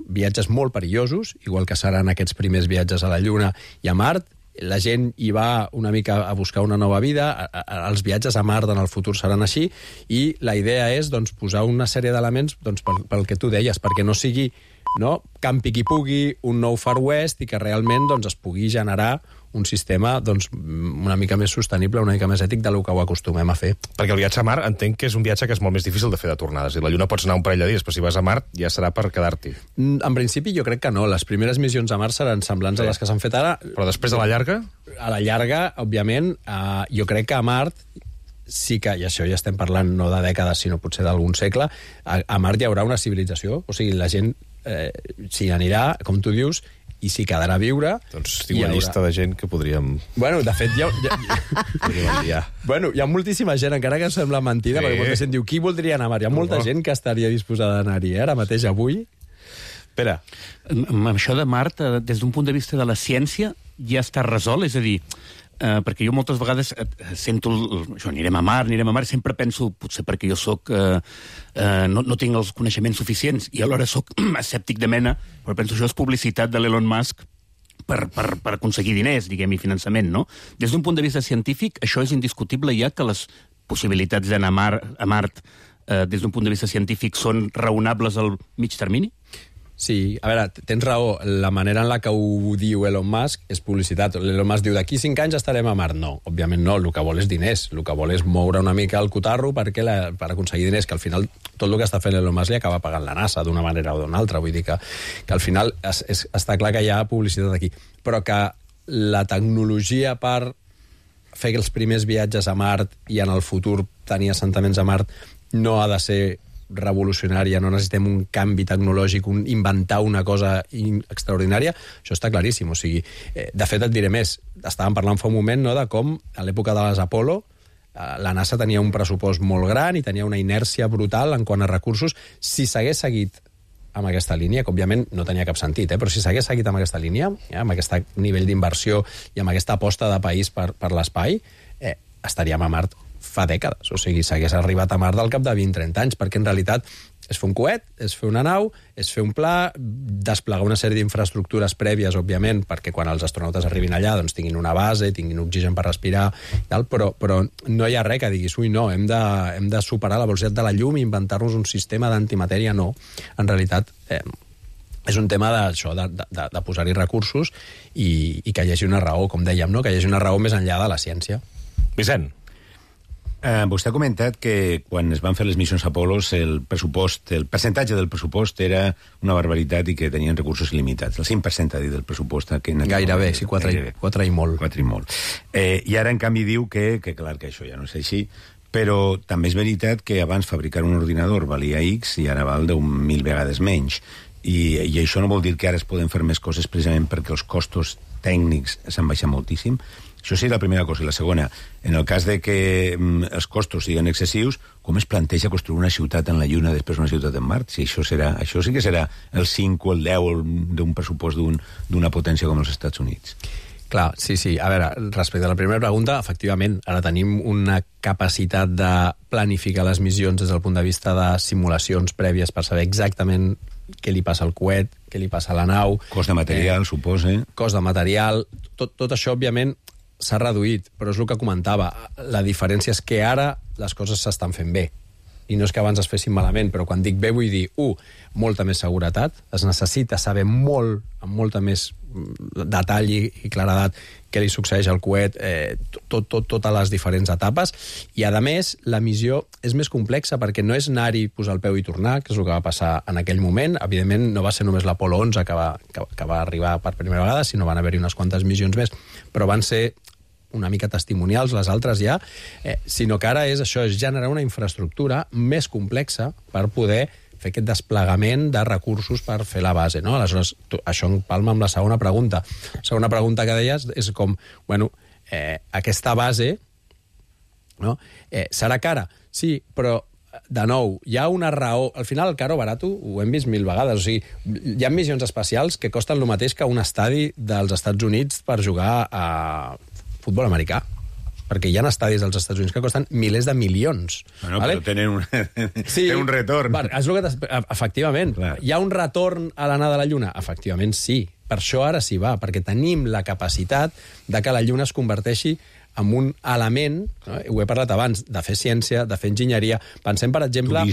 S28: viatges molt perillosos, igual que seran aquests primers viatges a la Lluna i a Mart, la gent hi va una mica a buscar una nova vida, els viatges a Mart en el futur seran així, i la idea és doncs, posar una sèrie d'elements doncs, pel que tu deies, perquè no sigui campi qui pugui, un nou Far West, i que realment doncs, es pugui generar un sistema doncs, una mica més sostenible, una mica més ètic del que ho acostumem a fer.
S1: Perquè el viatge a Mart entenc que és un viatge que és molt més difícil de fer de tornades. I la Lluna pots anar un parell de dies, però si vas a Mart ja serà per quedar-t'hi.
S28: En principi jo crec que no. Les primeres missions a Mart seran semblants a les que s'han fet ara.
S1: Però després de la llarga?
S28: A la llarga, òbviament, jo crec que a Mart sí que, i això ja estem parlant no de dècades, sinó potser d'algun segle, a Mart hi haurà una civilització. O sigui, la gent s'hi anirà, com tu dius, i s'hi quedarà a viure.
S1: Doncs tinc una llista de gent que podríem...
S28: Bueno, de fet, hi ha moltíssima gent, encara que sembla mentida, perquè molta gent diu, qui voldria anar a Mart? Hi ha molta gent que estaria disposada d'anar-hi, ara mateix, avui.
S1: Espera.
S3: Amb això de Mart, des d'un punt de vista de la ciència, ja està resolt, és a dir, perquè jo moltes vegades sento això, anirem a Mart, i sempre penso, potser perquè jo no tinc els coneixements suficients i alhora soc escèptic de mena, però penso això és publicitat de l'Elon Musk per aconseguir diners, diguem, i finançament, no? Des d'un punt de vista científic, això és indiscutible ja que les possibilitats d'anar a Mart des d'un punt de vista científic són raonables al mig termini?
S28: Sí, a veure, tens raó. La manera en la que ho diu Elon Musk és publicitat. Elon Musk diu, d'aquí 5 anys estarem a Mart. No, òbviament no, el que vol és diners. El que vol és moure una mica el cotarro per aconseguir diners, que al final tot el que està fent Elon Musk li acaba pagant la NASA d'una manera o d'una altra. Vull dir que al final està clar que hi ha publicitat aquí. Però que la tecnologia per fer els primers viatges a Mart i en el futur tenir assentaments a Mart no ha de ser revolucionària, no necessitem un canvi tecnològic, inventar una cosa extraordinària, això està claríssim. O sigui, de fet, et diré més. Estàvem parlant fa un moment de com, a l'època de les Apollo, la NASA tenia un pressupost molt gran i tenia una inèrcia brutal en quant a recursos. Si s'hagués seguit amb aquesta línia, que òbviament no tenia cap sentit, però si s'hagués seguit amb aquesta línia, amb aquest nivell d'inversió i amb aquesta aposta de país per l'espai, estaríem a Mart fa dècades. O sigui, s'hagués arribat a Mart al cap de 20-30 anys, perquè en realitat és fer un coet, és fer una nau, és fer un pla, desplegar una sèrie d'infraestructures prèvies, òbviament, perquè quan els astronautes arribin allà doncs tinguin una base, tinguin oxigen per respirar, tal, però no hi ha res que diguis, ui, no, hem de superar la velocitat de la llum i inventar-nos un sistema d'antimatèria, no. En realitat, és un tema d'això, de posar-hi recursos i que hi hagi una raó, com dèiem, no? Que hi hagi una raó més enllà de la ciència.
S1: Vicent.
S4: Vostè ha comentat que quan es van fer les missions Apollo el percentatge del pressupost era una barbaritat i que tenien recursos il·limitats. El 5% ha dit del pressupost.
S28: Gairebé, sí, 4 i molt.
S4: 4 i molt. I ara, en canvi, diu que clar, que això ja no és així, però també és veritat que abans fabricar un ordinador valia X i ara val 10.000 vegades menys. I això no vol dir que ara es poden fer més coses precisament perquè els costos tècnics s'han baixat moltíssim. Això sí, la primera cosa. I la segona, en el cas de que els costos siguin excessius, com es planteja construir una ciutat en la Lluna després una ciutat en Mart? Si això sí que serà el 5 o el 10 d'un pressupost d'una potència com els Estats Units.
S28: Clar, sí. A veure, respecte a la primera pregunta, efectivament, ara tenim una capacitat de planificar les missions des del punt de vista de simulacions prèvies per saber exactament què li passa al coet, què li passa a la nau...
S4: Cost de material, suposa.
S28: Cost de material... Tot això, òbviament, s'ha reduït, però és el que comentava. La diferència és que ara les coses s'estan fent bé. I no és que abans es fessin malament, però quan dic bé vull dir, molta més seguretat, es necessita saber molt, amb molta més detall i claredat què li succeeix al coet, totes les diferents etapes, i a més la missió és més complexa perquè no és anar-hi, posar el peu i tornar, que és el que va passar en aquell moment. Evidentment no va ser només l'Apollo 11 que va arribar per primera vegada, sinó van haver-hi unes quantes missions més, però van ser una mica testimonials, les altres ja, sinó que ara és això, és generar una infraestructura més complexa per poder fer aquest desplegament de recursos per fer la base, no? Aleshores, això empalma amb la segona pregunta. La segona pregunta que deies és com, aquesta base, no? Serà cara? Sí, però de nou, hi ha una raó... Al final, el caro barato ho hem vist 1000 vegades. O sigui, hi ha missions espacials que costen el mateix que un estadi dels Estats Units per jugar a futbol americà, perquè hi ha estadis als Estats Units que costen milers de milions.
S4: Bueno, vale? Però tenen un retorn.
S28: Efectivament. Clar. Hi ha un retorn a l'anar de la Lluna? Efectivament, sí. per això ara s'hi va, perquè tenim la capacitat de que la Lluna es converteixi en un element, no? Ho he parlat abans, de fer ciència, de fer enginyeria. Pensem, per exemple...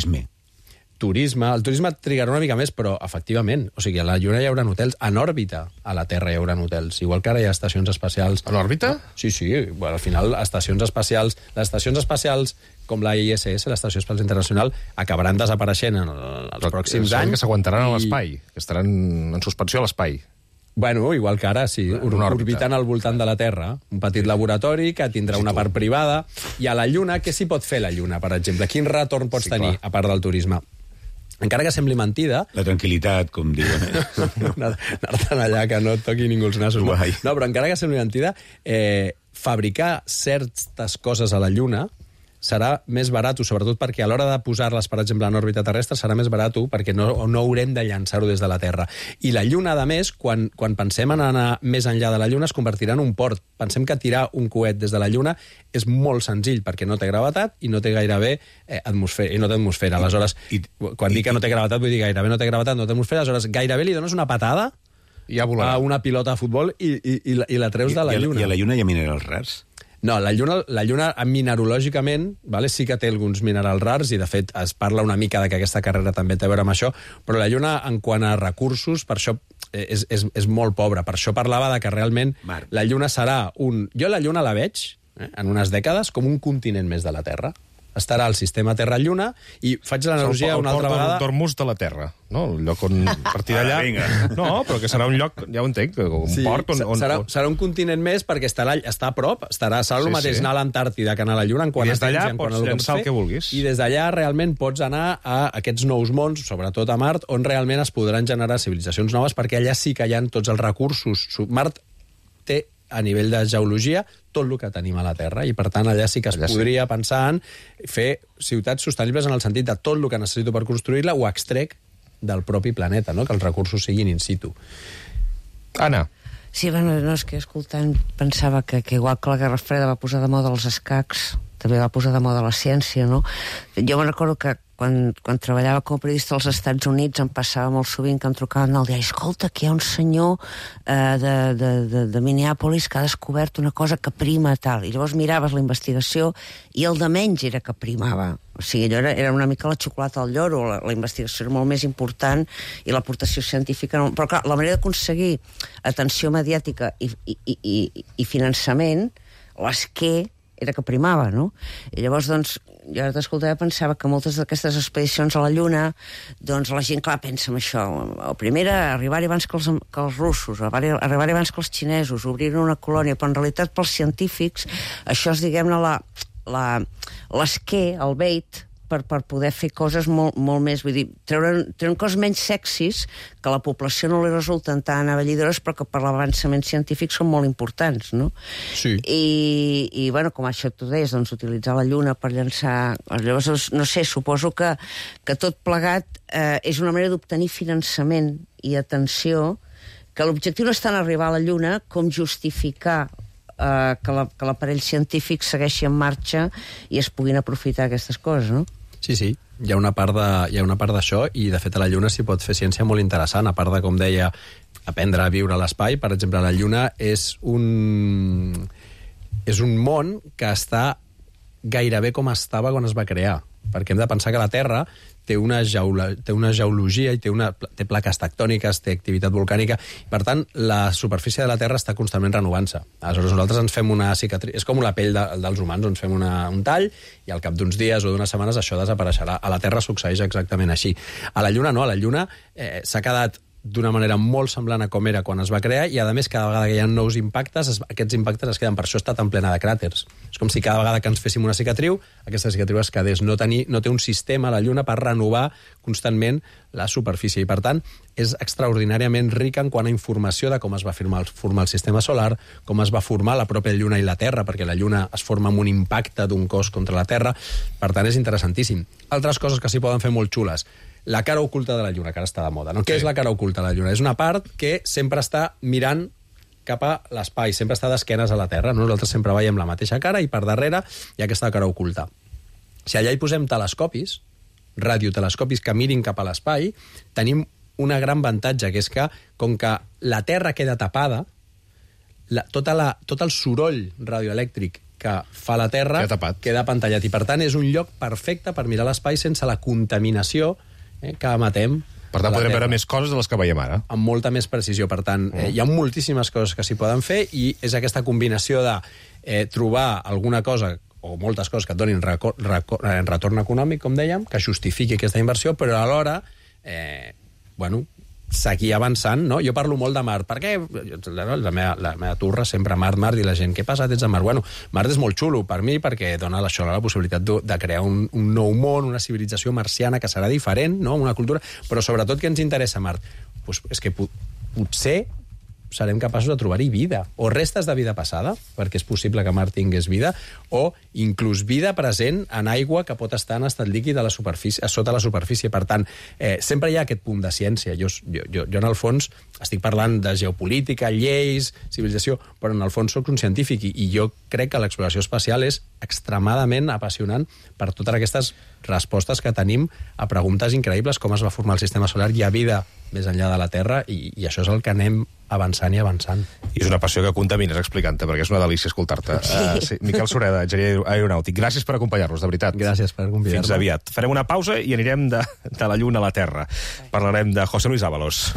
S28: Turisme. El turisme trigarà una mica més, però efectivament, o sigui, a la Lluna hi haurà hotels, en òrbita a la Terra hi haurà hotels, igual que ara hi ha estacions espacials.
S1: En òrbita?
S28: Sí, bueno, al final, estacions espacials, les estacions espacials com la ISS, l'Estació Espacial Internacional, acabaran desapareixent en els pròxims anys.
S1: Que s'aguantaran a l'espai, que estaran en suspensió a l'espai.
S28: Bueno, igual que ara, sí, orbitant al voltant de la Terra. Un petit laboratori que tindrà una part privada. I a la Lluna, què s'hi pot fer la Lluna, per exemple? Quin retorn pots tenir, a part del turisme? Encara que sembli mentida...
S4: La tranquil·litat, com diuen.
S28: Anar-te'n allà, que no et toqui ningú els nassos. No, però encara que sembli mentida, fabricar certes coses a la Lluna serà més barat, sobretot perquè a l'hora de posar-les, per exemple, en òrbita terrestre, serà més barat perquè no haurem de llançar-ho des de la Terra. I la Lluna, a més, quan pensem en anar més enllà de la Lluna, es convertirà en un port. Pensem que tirar un coet des de la Lluna és molt senzill, perquè no té gravetat i no té gairebé atmosfera. I no té atmosfera. Aleshores, quan dic que no té gravetat, vull dir gairebé no té gravetat, no té atmosfera. Aleshores, gairebé li dones una patada a una pilota de futbol i la treus de la Lluna.
S4: I a la Lluna hi ha minerals rars?
S28: No, la Lluna minerològicament sí que té alguns minerals rars i, de fet, es parla una mica de que aquesta carrera també té a veure amb això, però la Lluna, en quant a recursos, per això és molt pobra. Per això parlava de que realment la Lluna serà un... Jo la Lluna la veig, en unes dècades, com un continent més de la Terra. Estarà al sistema Terra-Lluna i faig l'analogia una altra vegada...
S1: El port d'Ormuz de la Terra, no? El lloc on a partir d'allà... No, però que serà un lloc, ja ho entenc, un port on...
S28: Serà un continent més perquè està a prop, serà el mateix anar a l'Antàrtida que anar a la Lluna.
S1: I des d'allà pots llançar el que vulguis.
S28: I des d'allà realment pots anar a aquests nous mons, sobretot a Mart, on realment es podran generar civilitzacions noves, perquè allà sí que hi ha tots els recursos. Mart té, a nivell de geologia, tot el que tenim a la Terra, i per tant allà sí que es podria pensar en fer ciutats sostenibles en el sentit de tot el que necessito per construir-la ho extrec del propi planeta, no? Que els recursos siguin in situ.
S1: Anna.
S5: Sí, bueno, no, és que escoltant pensava que igual que la Guerra Freda va posar de moda els escacs, també va posar de moda la ciència, no? Jo me'n recordo que quan treballava com a periodista als Estats Units em passava molt sovint que em trucaven al diari, escolta, que hi ha un senyor de Minneapolis que ha descobert una cosa que prima tal, i llavors miraves la investigació i el de menys era que primava. O sigui, allò era una mica la xocolata al lloro, la investigació era molt més important i l'aportació científica no. Però clar, la manera d'aconseguir atenció mediàtica i finançament, l'esquer era que primava, no? I llavors, doncs, jo ara t'escoltava, pensava que moltes d'aquestes expedicions a la Lluna, doncs la gent, clar, pensa en això. El primer era arribar-hi abans que els russos, arribar-hi abans que els xinesos, obrir una colònia, però en realitat pels científics això és, diguem-ne, l'esquer, el bait, per poder fer coses molt més, vull dir, treure coses menys sexis que a la població no li resulten tan avellidores però que per l'avançament científic són molt importants, no?
S28: Sí.
S5: I bueno, com això tu deies, doncs utilitzar la Lluna per llançar... Llavors, no sé, suposo que tot plegat és una manera d'obtenir finançament i atenció, que l'objectiu no és tant arribar a la Lluna com justificar que l'aparell científic segueixi en marxa i es puguin aprofitar aquestes coses, no?
S28: Sí, hi ha una part d'això i, de fet, a la Lluna s'hi pot fer ciència molt interessant, a part de, com deia, aprendre a viure a l'espai. Per exemple, la Lluna és un món que està gairebé com estava quan es va crear, perquè hem de pensar que la Terra té una geologia i té plaques tectòniques, té activitat volcànica, i per tant la superfície de la Terra està constantment renovant-se. Aleshores nosaltres ens fem una cicatriç, és com la pell dels humans, ens fem un tall i al cap d'uns dies o d'unes setmanes això desapareixerà. A la Terra succeeix exactament així. A la Lluna no, a la Lluna s'ha quedat d'una manera molt semblant a com era quan es va crear i, a més, cada vegada que hi ha nous impactes, aquests impactes es queden. Per això està tan plena de cràters. És com si cada vegada que ens féssim una cicatriu, aquesta cicatriu es quedés. No té un sistema a la Lluna per renovar constantment la superfície i, per tant, és extraordinàriament rica en quant a informació de com es va formar el sistema solar, com es va formar la pròpia Lluna i la Terra, perquè la Lluna es forma amb un impacte d'un cos contra la Terra. Per tant, és interessantíssim. Altres coses que s'hi poden fer molt xules. La cara oculta de la Lluna, que ara està de moda. No? Què és la cara oculta de la Lluna? És una part que sempre està mirant cap a l'espai, sempre està d'esquenes a la Terra. Nosaltres sempre veiem la mateixa cara i per darrere hi ha aquesta cara oculta. Si allà hi posem telescopis, radiotelescopis que mirin cap a l'espai, tenim un gran avantatge, que és que, com que la Terra queda tapada, tot el soroll radioelèctric que fa la Terra queda apantallat. I, per tant, és un lloc perfecte per mirar l'espai sense la contaminació que emetem.
S1: Per tant, podrem veure més coses de les que veiem ara.
S28: Amb molta més precisió. Per tant, hi ha moltíssimes coses que s'hi poden fer i és aquesta combinació de trobar alguna cosa o moltes coses que et donin retorn econòmic, com dèiem, que justifiqui aquesta inversió, però alhora, seguir avançant, no? Jo parlo molt de Mart. Per què? La meva turra sempre Mart, i la gent, què passa, ets a Mart? Bueno, Mart és molt xulo per mi perquè dona això la possibilitat de crear un nou món, una civilització marciana que serà diferent, no? Una cultura, però sobretot què ens interessa Mart? Pues és que potser serem capaços de trobar-hi vida, o restes de vida passada, perquè és possible que Mart tingués vida, o inclús vida present en aigua que pot estar en estat líquid a sota la superfície. Per tant, sempre hi ha aquest punt de ciència. Jo en el fons, estic parlant de geopolítica, lleis, civilització, però en el fons soc un científic i jo crec que l'exploració espacial és extremadament apassionant per totes aquestes respostes que tenim a preguntes increïbles, com es va formar el sistema solar, hi ha vida més enllà de la Terra, i això és el que anem avançant i avançant.
S1: I és una passió que contamines explicant-te, perquè és una delícia escoltar-te. Sí. Miquel Sureda, enginyer aeronàutic, gràcies per acompanyar-nos, de veritat.
S28: Gràcies per convidar-me.
S1: Fins aviat. Farem una pausa i anirem de la Lluna a la Terra. Parlarem de José Luis Ábalos.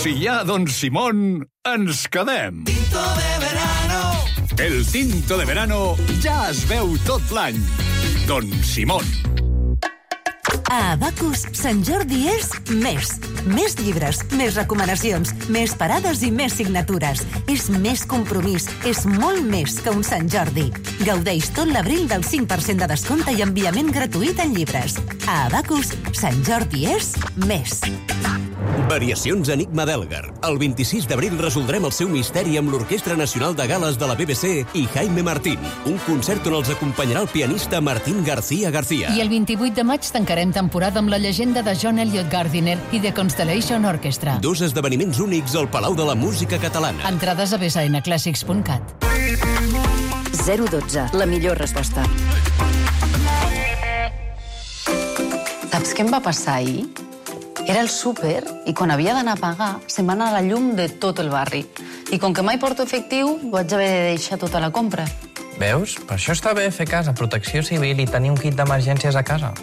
S6: Si hi ha Don Simón, ens quedem. Tinto de verano. El tinto de verano ja es veu tot l'any. Don Simón.
S23: A Abacus, Sant Jordi és més. Més llibres, més recomanacions, més parades i més signatures. És més compromís, és molt més que un Sant Jordi. Gaudeix tot l'abril del 5% de descompte i enviament gratuït en llibres. A Abacus, Sant Jordi és més.
S22: Variacions Enigma d'Elgar. El 26 d'abril resoldrem el seu misteri amb l'Orquestra Nacional de Gales de la BBC i Jaime Martín. Un concert on els acompanyarà el pianista Martín García García.
S7: I el 28 de maig tancarem temporada amb la llegenda de John Elliot Gardiner i The Constellation Orchestra.
S22: 2 esdeveniments únics al Palau de la Música Catalana.
S7: Entrades a bsnclassics.cat.
S16: 012, la millor resposta.
S8: Saps què em va passar ahir? Era el súper i quan havia d'anar a pagar se'm va anar la llum de tot el barri. I com que mai porto efectiu, vaig haver de deixar tota la compra.
S9: Veus? Per això està bé fer cas a Protecció Civil i tenir un kit d'emergències a casa.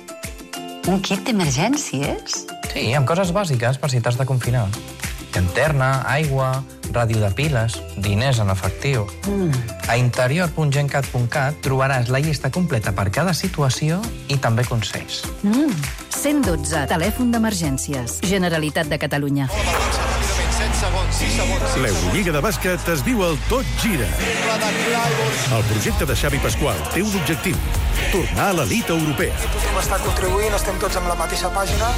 S8: Un kit d'emergències?
S9: Sí, amb coses bàsiques per si t'has de confinar. Llanterna, aigua, ràdio de piles, diners en efectiu. A interior.gencat.cat trobaràs la llista completa per cada situació i també consells.
S16: 112, telèfon d'emergències. Generalitat de Catalunya.
S17: L'Eurolliga de bàsquet es diu el Tot Gira. El projecte de Xavi Pasqual té un objectiu: tornar a l'elit europea.
S10: Tothom està contribuint, estem tots amb la mateixa pàgina.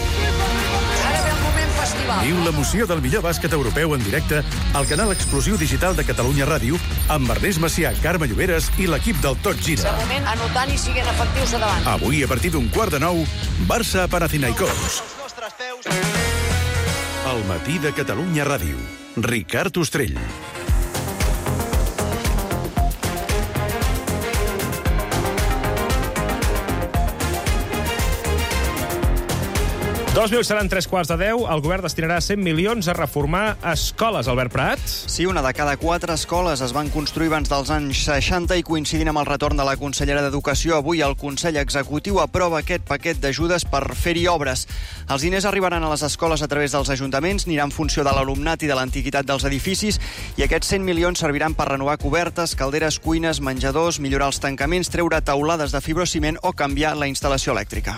S10: Ara ve el moment festival.
S17: Viu l'emoció del millor bàsquet europeu en directe al canal exclusiu digital de Catalunya Ràdio amb Ernest Macià, Carme Lloberes i l'equip del Tot Gira.
S10: Moment, anotant i siguent efectius a davant.
S17: Avui, a partir d'un 8:45, Barça-Panathinaikos. El matí de Catalunya Ràdio. Ricard Ostrell.
S1: Dos minuts seran 3:15. El govern destinarà 100 milions a reformar escoles. Albert Prat?
S12: Sí, una de cada 4 escoles es van construir abans dels anys 60 i coincidint amb el retorn de la consellera d'Educació. Avui el Consell Executiu aprova aquest paquet d'ajudes per fer-hi obres. Els diners arribaran a les escoles a través dels ajuntaments, aniran en funció de l'alumnat i de l'antiguitat dels edificis, i aquests 100 milions serviran per renovar cobertes, calderes, cuines, menjadors, millorar els tancaments, treure taulades de fibrociment o canviar la instal·lació elèctrica.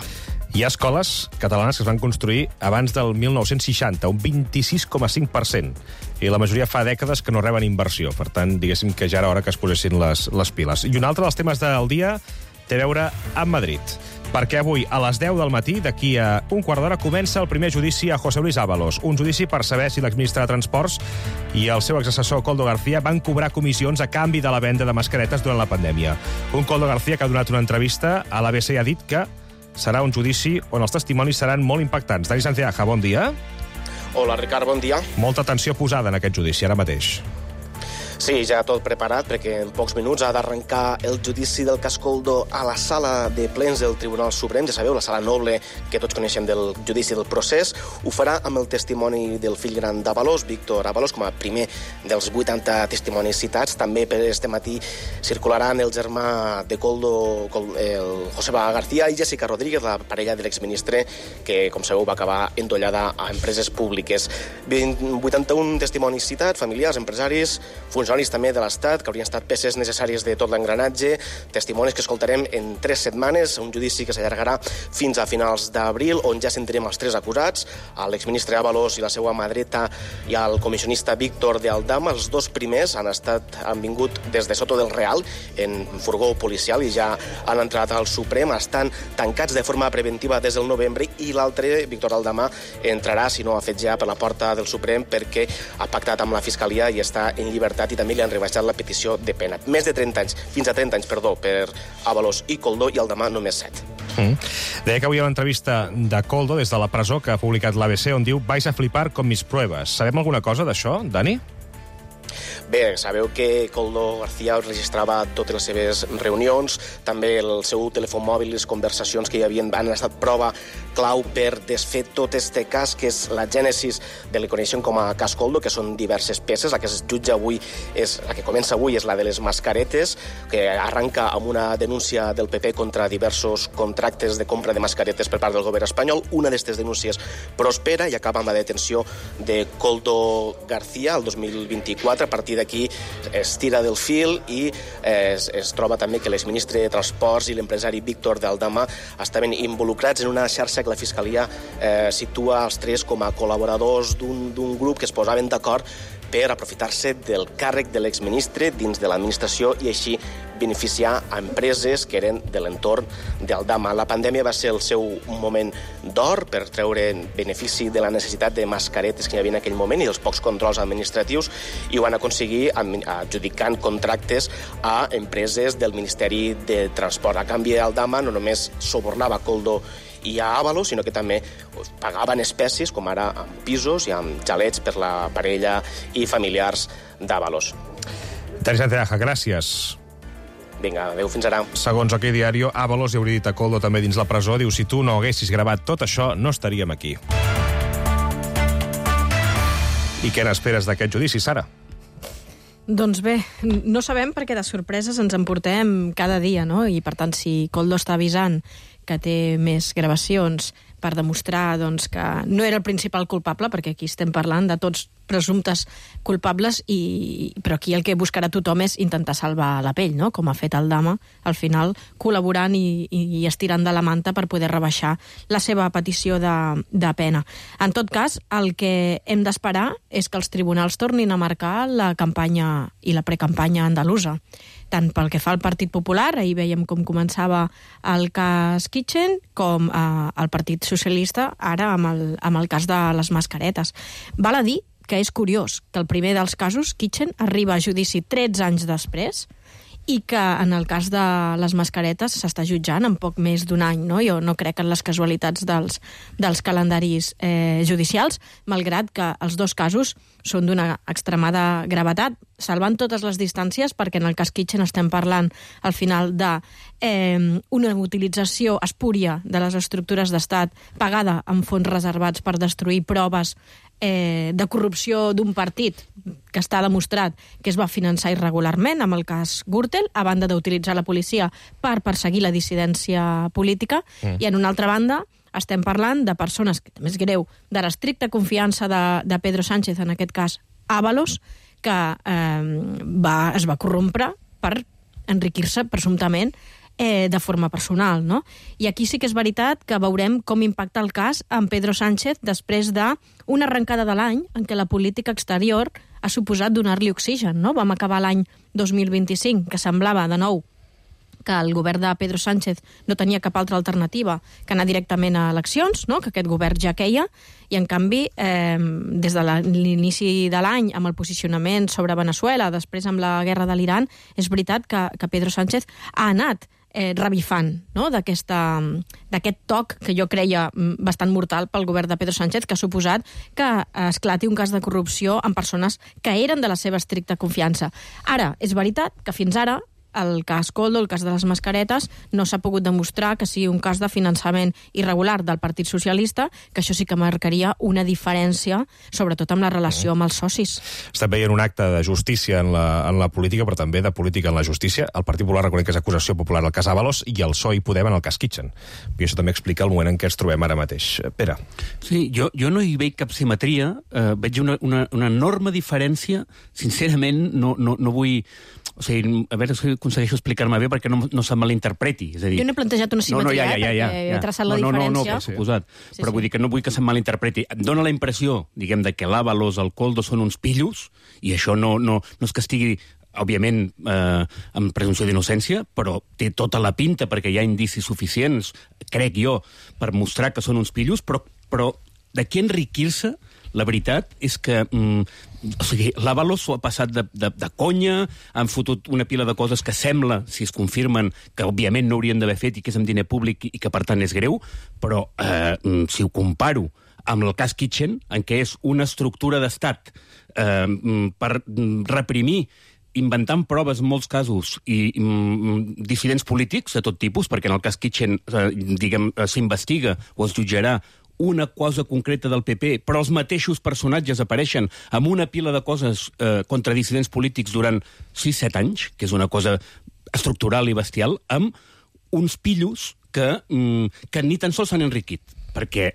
S1: Hi ha escoles catalanes que es van construir abans del 1960, un 26,5%. I la majoria fa dècades que no reben inversió. Per tant, diguéssim que ja era hora que es posessin les piles. I un altre dels temes del dia té a veure amb Madrid. Perquè avui, a les 10 del matí, d'aquí a un quart d'hora, comença el primer judici a José Luis Ábalos. Un judici per saber si l'exministre de Transports i el seu exassessor Koldo García van cobrar comissions a canvi de la venda de mascaretes durant la pandèmia. Un Koldo García que ha donat una entrevista a l'ABC i ha dit que serà un judici on els testimonis seran molt impactants. Dani Santiago, bon dia.
S13: Hola, Ricard, bon dia.
S1: Molta atenció posada en aquest judici, ara mateix.
S11: Sí, ja tot preparat, perquè en pocs minuts ha d'arrencar el judici del cas Koldo a la sala de plens del Tribunal Suprem. Ja sabeu, la sala noble que tots coneixem del judici del procés. Ho farà amb el testimoni del fill gran d'Ábalos, Víctor Ábalos, com a primer dels 80 testimonis citats. També per este matí circularan el germà de Koldo, el Joseba García, i Jessica Rodríguez, la parella de l'exministre, que, com sabeu, va acabar endollada a empreses públiques. 81 testimonis citats, familiars, empresaris, funcionaris també de l'Estat, que haurien estat peces necessàries de tot l'engranatge, testimonis que escoltarem en 3 setmanes, un judici que s'allargarà fins a finals d'abril, on ja sentirem els 3 acusats, l'exministre Ábalos i la seva mà dreta i el comissionista Víctor de Aldama. Els 2 primers han vingut des de Soto del Real, en furgó policial, i ja han entrat al Suprem. Estan tancats de forma preventiva des del novembre, i l'altre, Víctor Aldama, entrarà, si no ha fet ja, per la porta del Suprem, perquè ha pactat amb la Fiscalia i està en llibertat, i també li han rebaixat la petició de pena. Més de 30 anys, fins a 30 anys, perdó, per Ábalos i Koldo, i Aldama només 7.
S1: Deia que avui a l'entrevista de Koldo des de la presó que ha publicat l'ABC, on diu «Vais a flipar con mis pruebas». Sabem alguna cosa d'això, Dani?
S11: Bé, sabeu que Koldo García registrava totes les seves reunions, també el seu telèfon mòbil, les conversacions que hi havia han estat prova clau per desfer tot este cas, que és la gènesis del que coneixem com a cas Koldo, que són diverses peces. La que es jutja avui, la que comença avui, és la de les mascaretes, que arranca amb una denúncia del PP contra diversos contractes de compra de mascaretes per part del govern espanyol. Una d'aquestes denúncies prospera i acaba amb la detenció de Koldo García el 2024. A partir d'aquí es tira del fil i es troba també que l'exministre de Transports i l'empresari Víctor de Aldama estaven involucrats en una xarxa que la Fiscalia situa els 3 com a col·laboradors d'un grup que es posaven d'acord per aprofitar-se del càrrec de l'exministre dins de l'administració i així beneficiar a empreses que eren de l'entorn d'Aldama. La pandèmia va ser el seu moment d'or per treure benefici de la necessitat de mascaretes que hi havia en aquell moment i dels pocs controls administratius, i ho van aconseguir adjudicant contractes a empreses del Ministeri de Transport. A canvi, Aldama no només subornava Koldo i a Ábalos, sinó que també pagaven espècies, com ara amb pisos i amb xalets per la parella i familiars d'Ábalos.
S1: Dani Santiago, gràcies.
S11: Vinga, adéu, fins ara.
S1: Segons OK Diario, Ábalos hi hauria dit a Koldo també dins la presó, diu, si tu no haguessis gravat tot això, no estaríem aquí. I què n'esperes d'aquest judici, Sara?
S2: Doncs bé, no sabem perquè de sorpreses ens en portem cada dia, no? I per tant, si Koldo està avisant que té més gravacions per demostrar doncs, que no era el principal culpable, perquè aquí estem parlant de tots presumptes culpables, però aquí el que buscarà tothom és intentar salvar la pell, no? Com ha fet Aldama, al final col·laborant i estirant de la manta per poder rebaixar la seva petició de pena. En tot cas, el que hem d'esperar és que els tribunals tornin a marcar la campanya i la precampanya andalusa. Tant pel que fa al Partit Popular, ahir veiem com començava el cas Kitchen, com el Partit Socialista, ara amb el cas de les mascaretes. Val a dir que és curiós que el primer dels casos, Kitchen, arriba a judici 13 anys després i que en el cas de les mascaretes s'està jutjant en poc més d'un any, no? Jo no crec en les casualitats dels calendaris judicials, malgrat que els 2 casos són d'una extremada gravetat, salvant totes les distàncies, perquè en el cas Kitchen estem parlant al final d'una utilització espúria de les estructures d'estat pagada amb fons reservats per destruir proves de corrupció d'un partit que està demostrat que es va finançar irregularment, amb el cas Gürtel, a banda d'utilitzar la policia per perseguir la dissidència política, i en una altra banda estem parlant de persones, que també és greu, de l'estricta confiança de Pedro Sánchez, en aquest cas Ábalos, que es va corrompre per enriquir-se presumptament de forma personal, no? I aquí sí que és veritat que veurem com impacta el cas amb Pedro Sánchez després d'una arrencada de l'any en què la política exterior ha suposat donar-li oxigen, no? Vam acabar l'any 2025, que semblava, de nou, que el govern de Pedro Sánchez no tenia cap altra alternativa que anar directament a eleccions, no? Que aquest govern ja queia, i en canvi, des de l'inici de l'any, amb el posicionament sobre Venezuela, després amb la guerra de l'Iran, és veritat que Pedro Sánchez ha anat revifant, no? d'aquest toc que jo creia bastant mortal pel govern de Pedro Sánchez, que ha suposat que esclati un cas de corrupció amb persones que eren de la seva estricta confiança. Ara, és veritat que fins ara el cas Koldo, el cas de les mascaretes, no s'ha pogut demostrar que sigui un cas de finançament irregular del Partit Socialista, que això sí que marcaria una diferència, sobretot amb la relació amb els socis.
S1: Estem veient un acte de justícia en la política, però també de política en la justícia. El Partit Popular reconeix que és acusació popular al cas Ábalos i el PSOE i Podem en el cas Kitchen. I això també explica el moment en què ens trobem ara mateix. Pere.
S3: Sí, jo no hi veig cap simetria, veig una enorme diferència. Sincerament, no vull... O sigui, a veure si aconsegueixo explicar-me bé perquè no se'm malinterpreti. És a dir,
S2: jo no he plantejat una simetria, perquè he traçat la diferència.
S3: No, per suposat. Sí, però vull dir que no vull que se'm malinterpreti. Em dóna la impressió, diguem, de que l'Ábalos, el Koldo són uns pillos, i això no és que estigui òbviament, amb presumpció d'innocència, però té tota la pinta perquè hi ha indicis suficients, crec jo, per mostrar que són uns pillos, però d'aquí enriquir-se, la veritat és que o sigui, l'Ábalos s'ho ha passat de conya, han fotut una pila de coses que sembla, si es confirmen, que òbviament no haurien d'haver fet i que és amb diner públic i que per tant és greu, però si ho comparo amb el cas Kitchen, en què és una estructura d'estat per reprimir, inventant proves en molts casos i dissidents polítics de tot tipus, perquè en el cas Kitchen s'investiga o es jutjarà una cosa concreta del PP, però els mateixos personatges apareixen amb una pila de coses contra dissidents polítics durant 6-7 anys, que és una cosa estructural i bestial, amb uns pillos que ni tan sols s'han enriquit. Perquè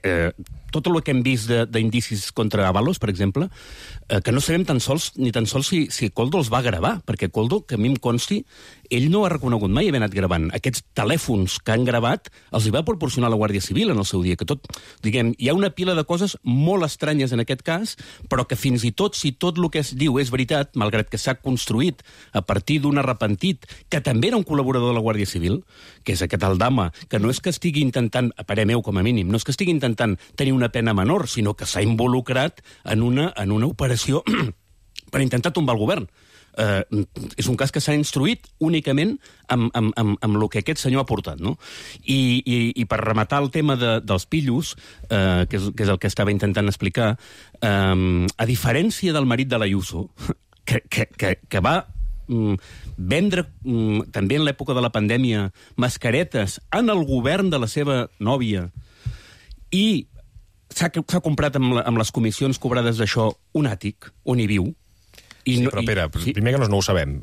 S3: tot el que hem vist d'indicis contra Ábalos, per exemple, que no sabem ni tan sols si Koldo els va gravar, perquè Koldo, que a mi em consti, ell no ha reconegut mai haver anat gravant. Aquests telèfons que han gravat els hi va proporcionar la Guàrdia Civil en el seu dia, que tot, diguem, hi ha una pila de coses molt estranyes en aquest cas, però que fins i tot, si tot el que es diu és veritat, malgrat que s'ha construït a partir d'un arrepentit, que també era un col·laborador de la Guàrdia Civil, que és aquest Aldama, que no és que estigui intentant, a parer meu com a mínim, no és que estigui intentant tenir una pena menor, sinó que s'ha involucrat en una operació per intentar tombar el govern. És un cas que s'ha instruït únicament amb el que aquest senyor ha portat, no? I per rematar el tema dels pillos, que és el que estava intentant explicar, a diferència del marit de l'Ayuso, que va vendre també en l'època de la pandèmia mascaretes en el govern de la seva nòvia i s'ha comprat amb les comissions cobrades d'això un àtic on hi viu.
S1: Però, Pere, primer que no ho sabem.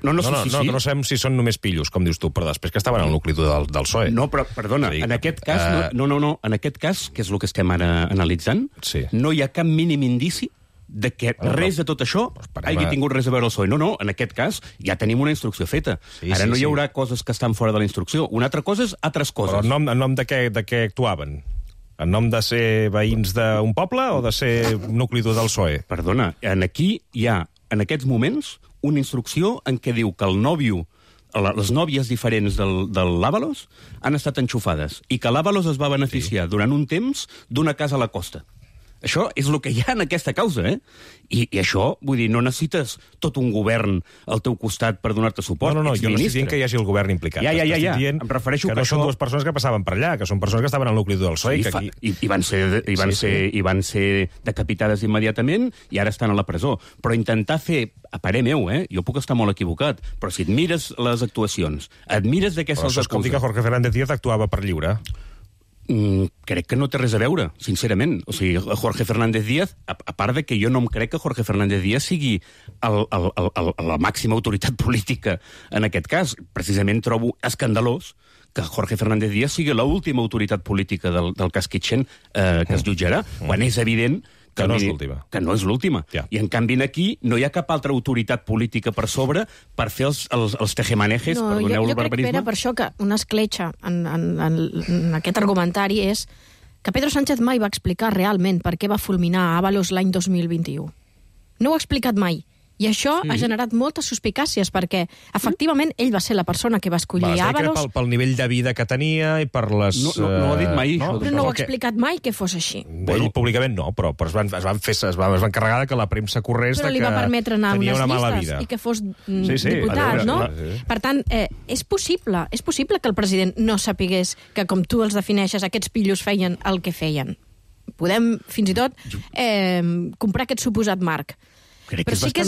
S1: No sabem si són només pillos, com dius tu, però després que estaven al nucli del PSOE.
S3: No, però, perdona, en aquest cas, en aquest cas, que és el que estem ara analitzant, no hi ha cap mínim indici de que res de tot això hagi tingut res a veure el PSOE. No, en aquest cas ja tenim una instrucció feta. Ara no hi haurà coses que estan fora de la instrucció. Una altra cosa és altres coses.
S1: Però en nom de què actuaven? En nom de ser veïns d'un poble o de ser nucli dur del PSOE?
S3: Perdona, aquí hi ha, en aquests moments, una instrucció en què diu que el nòvio, les nòvies diferents de l'Ábalos han estat enxufades i que l'Ábalos es va beneficiar durant un temps d'una casa a la costa. Això és el que hi ha en aquesta causa, eh? I això, vull dir, no necessites tot un govern al teu costat per donar-te suport.
S1: No, jo no estic dient que hi hagi el govern implicat.
S3: Ja. Em refereixo
S1: que no són dues persones que passaven per allà, que són persones que estaven al nucli del PSOE.
S3: I van ser decapitades immediatament i ara estan a la presó. Però intentar fer, a parer meu, jo puc estar molt equivocat, però si et mires les actuacions, et mires de què se'ls acusa...
S1: Això vol dir que Jorge Fernández Díaz actuava per lliure?
S3: Crec que no té res a veure, sincerament. O sigui, Jorge Fernández Díaz, a part de que jo no em crec que Jorge Fernández Díaz sigui la màxima autoritat política en aquest cas. Precisament trobo escandalós que Jorge Fernández Díaz sigui l'última autoritat política del cas Kitchen que es jutjarà, quan és evident
S1: que no és l'última.
S3: Que no és l'última. Ja. I en canvi aquí no hi ha cap altra autoritat política per sobre per fer els tejemanejes, perdoneu el barbarisme.
S2: Jo crec, Pere, per això que una escletxa en aquest argumentari és que Pedro Sánchez mai va explicar realment per què va fulminar Ábalos l'any 2021. No ho ha explicat mai. I això ha generat moltes suspicàcies, perquè, efectivament, ell va ser la persona que va escollir Ábalos.
S1: Pel nivell de vida que tenia i per les...
S3: No ho ha dit mai, això.
S2: Però no ho ha explicat mai que fos així.
S1: Ell públicament no, però es van carregar que la premsa corrés
S2: però
S1: que
S2: li va permetre anar a unes
S1: llistes
S2: vida. I que fos diputat, no? Per tant, és possible que el president no sapigués que, com tu els defineixes, aquests pillos feien el que feien. Podem, fins i tot, comprar aquest suposat marc. Però sí que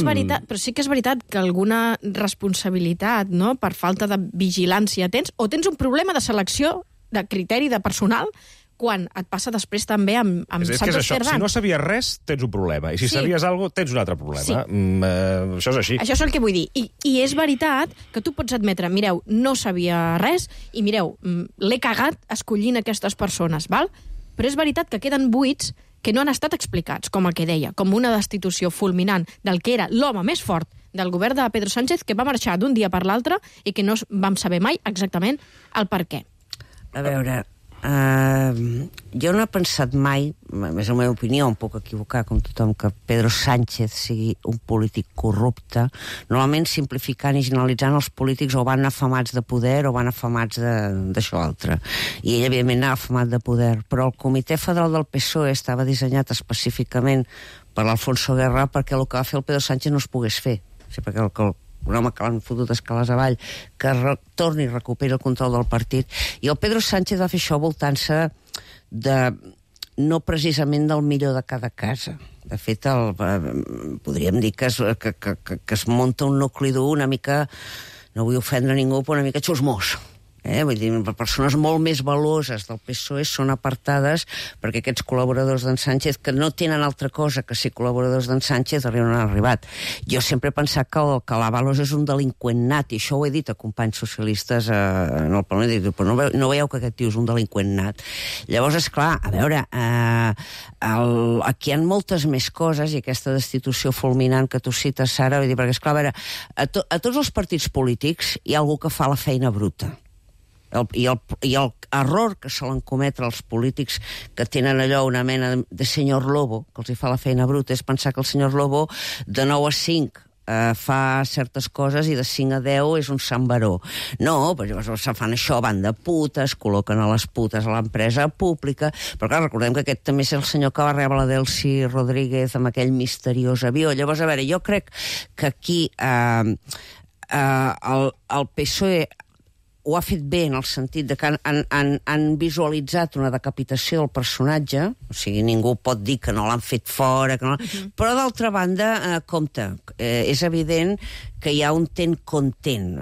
S2: és veritat que alguna responsabilitat, no?, per falta de vigilància tens, o tens un problema de selecció, de criteri, de personal, quan et passa després també amb Santos Cerdán.
S1: Si no sabies res, tens un problema. I si sabies alguna cosa, tens un altre problema. Sí. Això és així.
S2: Això és el que vull dir. I és veritat que tu pots admetre, mireu, no sabia res, i mireu, l'he cagat escollint aquestes persones, val? Però és veritat que queden buits que no han estat explicats, com el que deia, com una destitució fulminant del que era l'home més fort del govern de Pedro Sánchez, que va marxar d'un dia per l'altre i que no vam saber mai exactament el per què.
S5: A veure, jo no he pensat mai, és la meva opinió, em puc equivocar com tothom, que Pedro Sánchez sigui un polític corrupte. Normalment simplificant i generalitzant, els polítics o van afamats de poder o van afamats d'això altre. I ell, evidentment, anava afamat de poder. Però el Comitè Federal del PSOE estava dissenyat específicament per l'Alfonso Guerra perquè el que va fer el Pedro Sánchez no es pogués fer. O sigui, perquè un home que l'han fotut escales avall, que torni i recuperi el control del partit. I el Pedro Sánchez va fer això voltant-se no precisament del millor de cada casa. De fet, podríem dir que es munta un nucli dur una mica, no vull ofendre ningú, però una mica xusmós. Vull dir, persones molt més valuoses del PSOE són apartades perquè aquests col·laboradors d'en Sánchez, que no tenen altra cosa que ser col·laboradors d'en Sánchez, no han arribat. Jo sempre he pensat que l'Ábalos és un delinqüent nat, i això ho he dit a companys socialistes en el Parlament, però no veieu que aquest tio és un delinqüent nat. Llavors, esclar, a veure, aquí hi ha moltes més coses, i aquesta destitució fulminant que tu cites, Sara, vull dir, perquè, esclar, a veure, a tots els partits polítics hi ha algú que fa la feina bruta. I el error que solen cometre els polítics que tenen allò una mena de senyor Lobo, que els hi fa la feina bruta, és pensar que el senyor Lobo de 9 a 5 fa certes coses i de 5 a 10 és un sant baró. No, però se fan això, van de putes, col·loquen a les putes a l'empresa pública, però clar, recordem que aquest també és el senyor que va rebre la Delcy Rodríguez amb aquell misteriós avió. Llavors, a veure, jo crec que aquí el PSOE ho ha fet bé en el sentit de que han visualitzat una decapitació del personatge, o sigui, ningú pot dir que no l'han fet fora, que no... Però d'altra banda, compte, és evident que hi ha un content.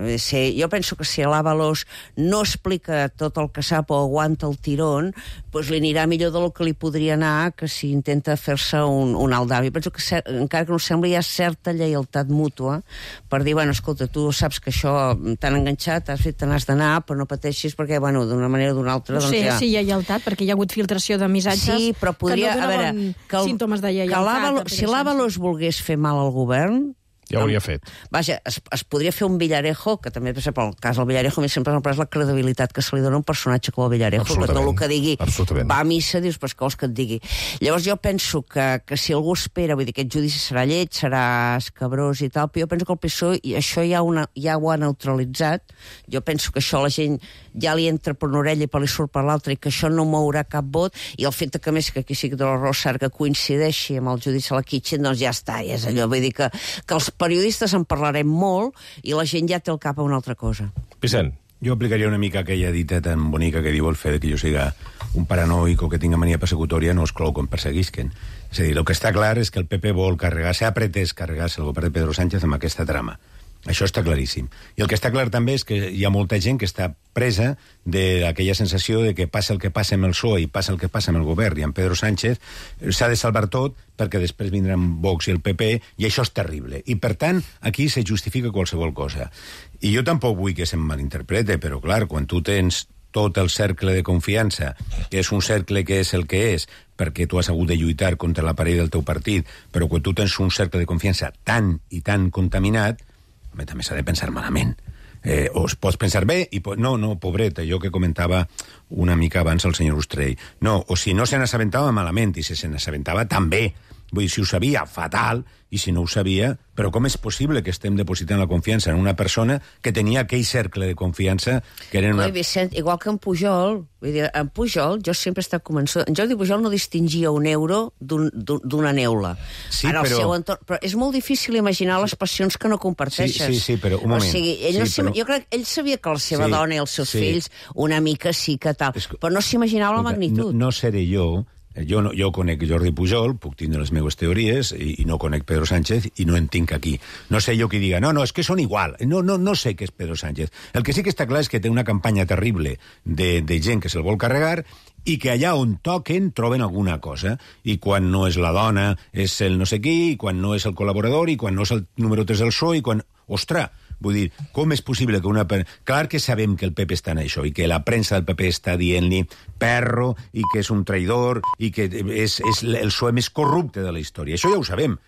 S5: Jo penso que si l'Ábalos no explica tot el que sap o aguanta el tirón, doncs li anirà millor del que li podria anar que si intenta fer-se un aldavi. Penso que, encara que no sembli, hi ha certa lleialtat mútua per dir, bueno, escolta, tu saps que això t'han enganxat, has fet, te n'has d'anar, però no pateixis perquè, bueno, d'una manera o d'una altra...
S2: No sé si hi ha lleialtat, perquè hi ha hagut filtració de missatges
S5: sí, però podria,
S2: que no donaven símptomes de lleialtat.
S5: Si l'Ábalos volgués fer mal al govern,
S1: ja ho hauria fet.
S5: Vaja, es podria fer un Villarejo, que també, per exemple, el cas del Villarejo, a mi sempre m'ha pres la credibilitat que se li dona un personatge com el Villarejo, que tot el que digui va a missa, dius, però què vols que et digui? Llavors jo penso que si algú espera, vull dir, aquest judici serà lleig, serà escabrós i tal, però jo penso que el PSOE, i això ja ho ha neutralitzat, jo penso que això la gent ja li entra per una orella i per li surt per l'altra, i que això no mourà cap vot, i el fet que, més, que aquí sí que de l'Arrossar que coincideixi amb el judici a la Kitchen, doncs ja està, ja és allò, vull dir que els periodistes en parlarem molt i la gent ja té el cap a una altra cosa.
S1: Vicent.
S4: Jo aplicaria una mica aquella dita tan bonica que diu el fet que jo siga un paranoic o que tinga mania persecutòria no exclou que em perseguisquen. És a dir, el que està clar és que el PP vol carregar-se, ha pretès carregar-se el govern de Pedro Sánchez amb aquesta trama. Això està claríssim. I el que està clar també és que hi ha molta gent que està presa d'aquella sensació de que passa el que passa amb el PSOE i passa el que passa amb el govern i amb Pedro Sánchez, s'ha de salvar tot perquè després vindran Vox i el PP i això és terrible. I per tant, aquí se justifica qualsevol cosa. I jo tampoc vull que se'm malinterprete, però clar, quan tu tens tot el cercle de confiança, que és un cercle que és el que és, perquè tu has hagut de lluitar contra l'aparell del teu partit, però quan tu tens un cercle de confiança tan i tan contaminat, també s'ha de pensar malament. O es pots pensar bé i... No, pobret, allò que comentava una mica abans el senyor Ustrell. No, o si no se n'assabentava malament i si se n'assabentava també. Vull dir, si ho sabia, fatal, i si no ho sabia... Però com és possible que estem depositant la confiança en una persona que tenia aquell cercle de confiança que eren una...
S5: Vicent, igual que en Pujol, vull dir, en Pujol jo sempre he estat convençut... En Jordi Pujol no distingia un euro d'una neula.
S4: Sí,
S5: en el
S4: però...
S5: seu entorn. Però és molt difícil imaginar les passions que no comparteixes.
S4: Sí, però un moment.
S5: O sigui, jo crec que ell sabia que la seva dona i els seus fills una mica sí que tal, però no s'imaginava la magnitud.
S4: No seré jo... Jo conec Jordi Pujol, puc tindre les meves teories, i no conec Pedro Sánchez, i no en tinc aquí. No sé jo qui diga, no, és que són igual. No sé què és Pedro Sánchez. El que sí que està clar és que té una campanya terrible de gent que se'l vol carregar i que allà on toquen troben alguna cosa. I quan no és la dona és el no sé qui, i quan no és el col·laborador, i quan no és el número 3 del PSOE, i quan... Ostres, vull dir, com és possible que una... Clar que sabem que el PP està en això i que la premsa del PP està dient-li perro i que és un traïdor i que és el PSOE més corrupte de la història. Això ja ho sabem.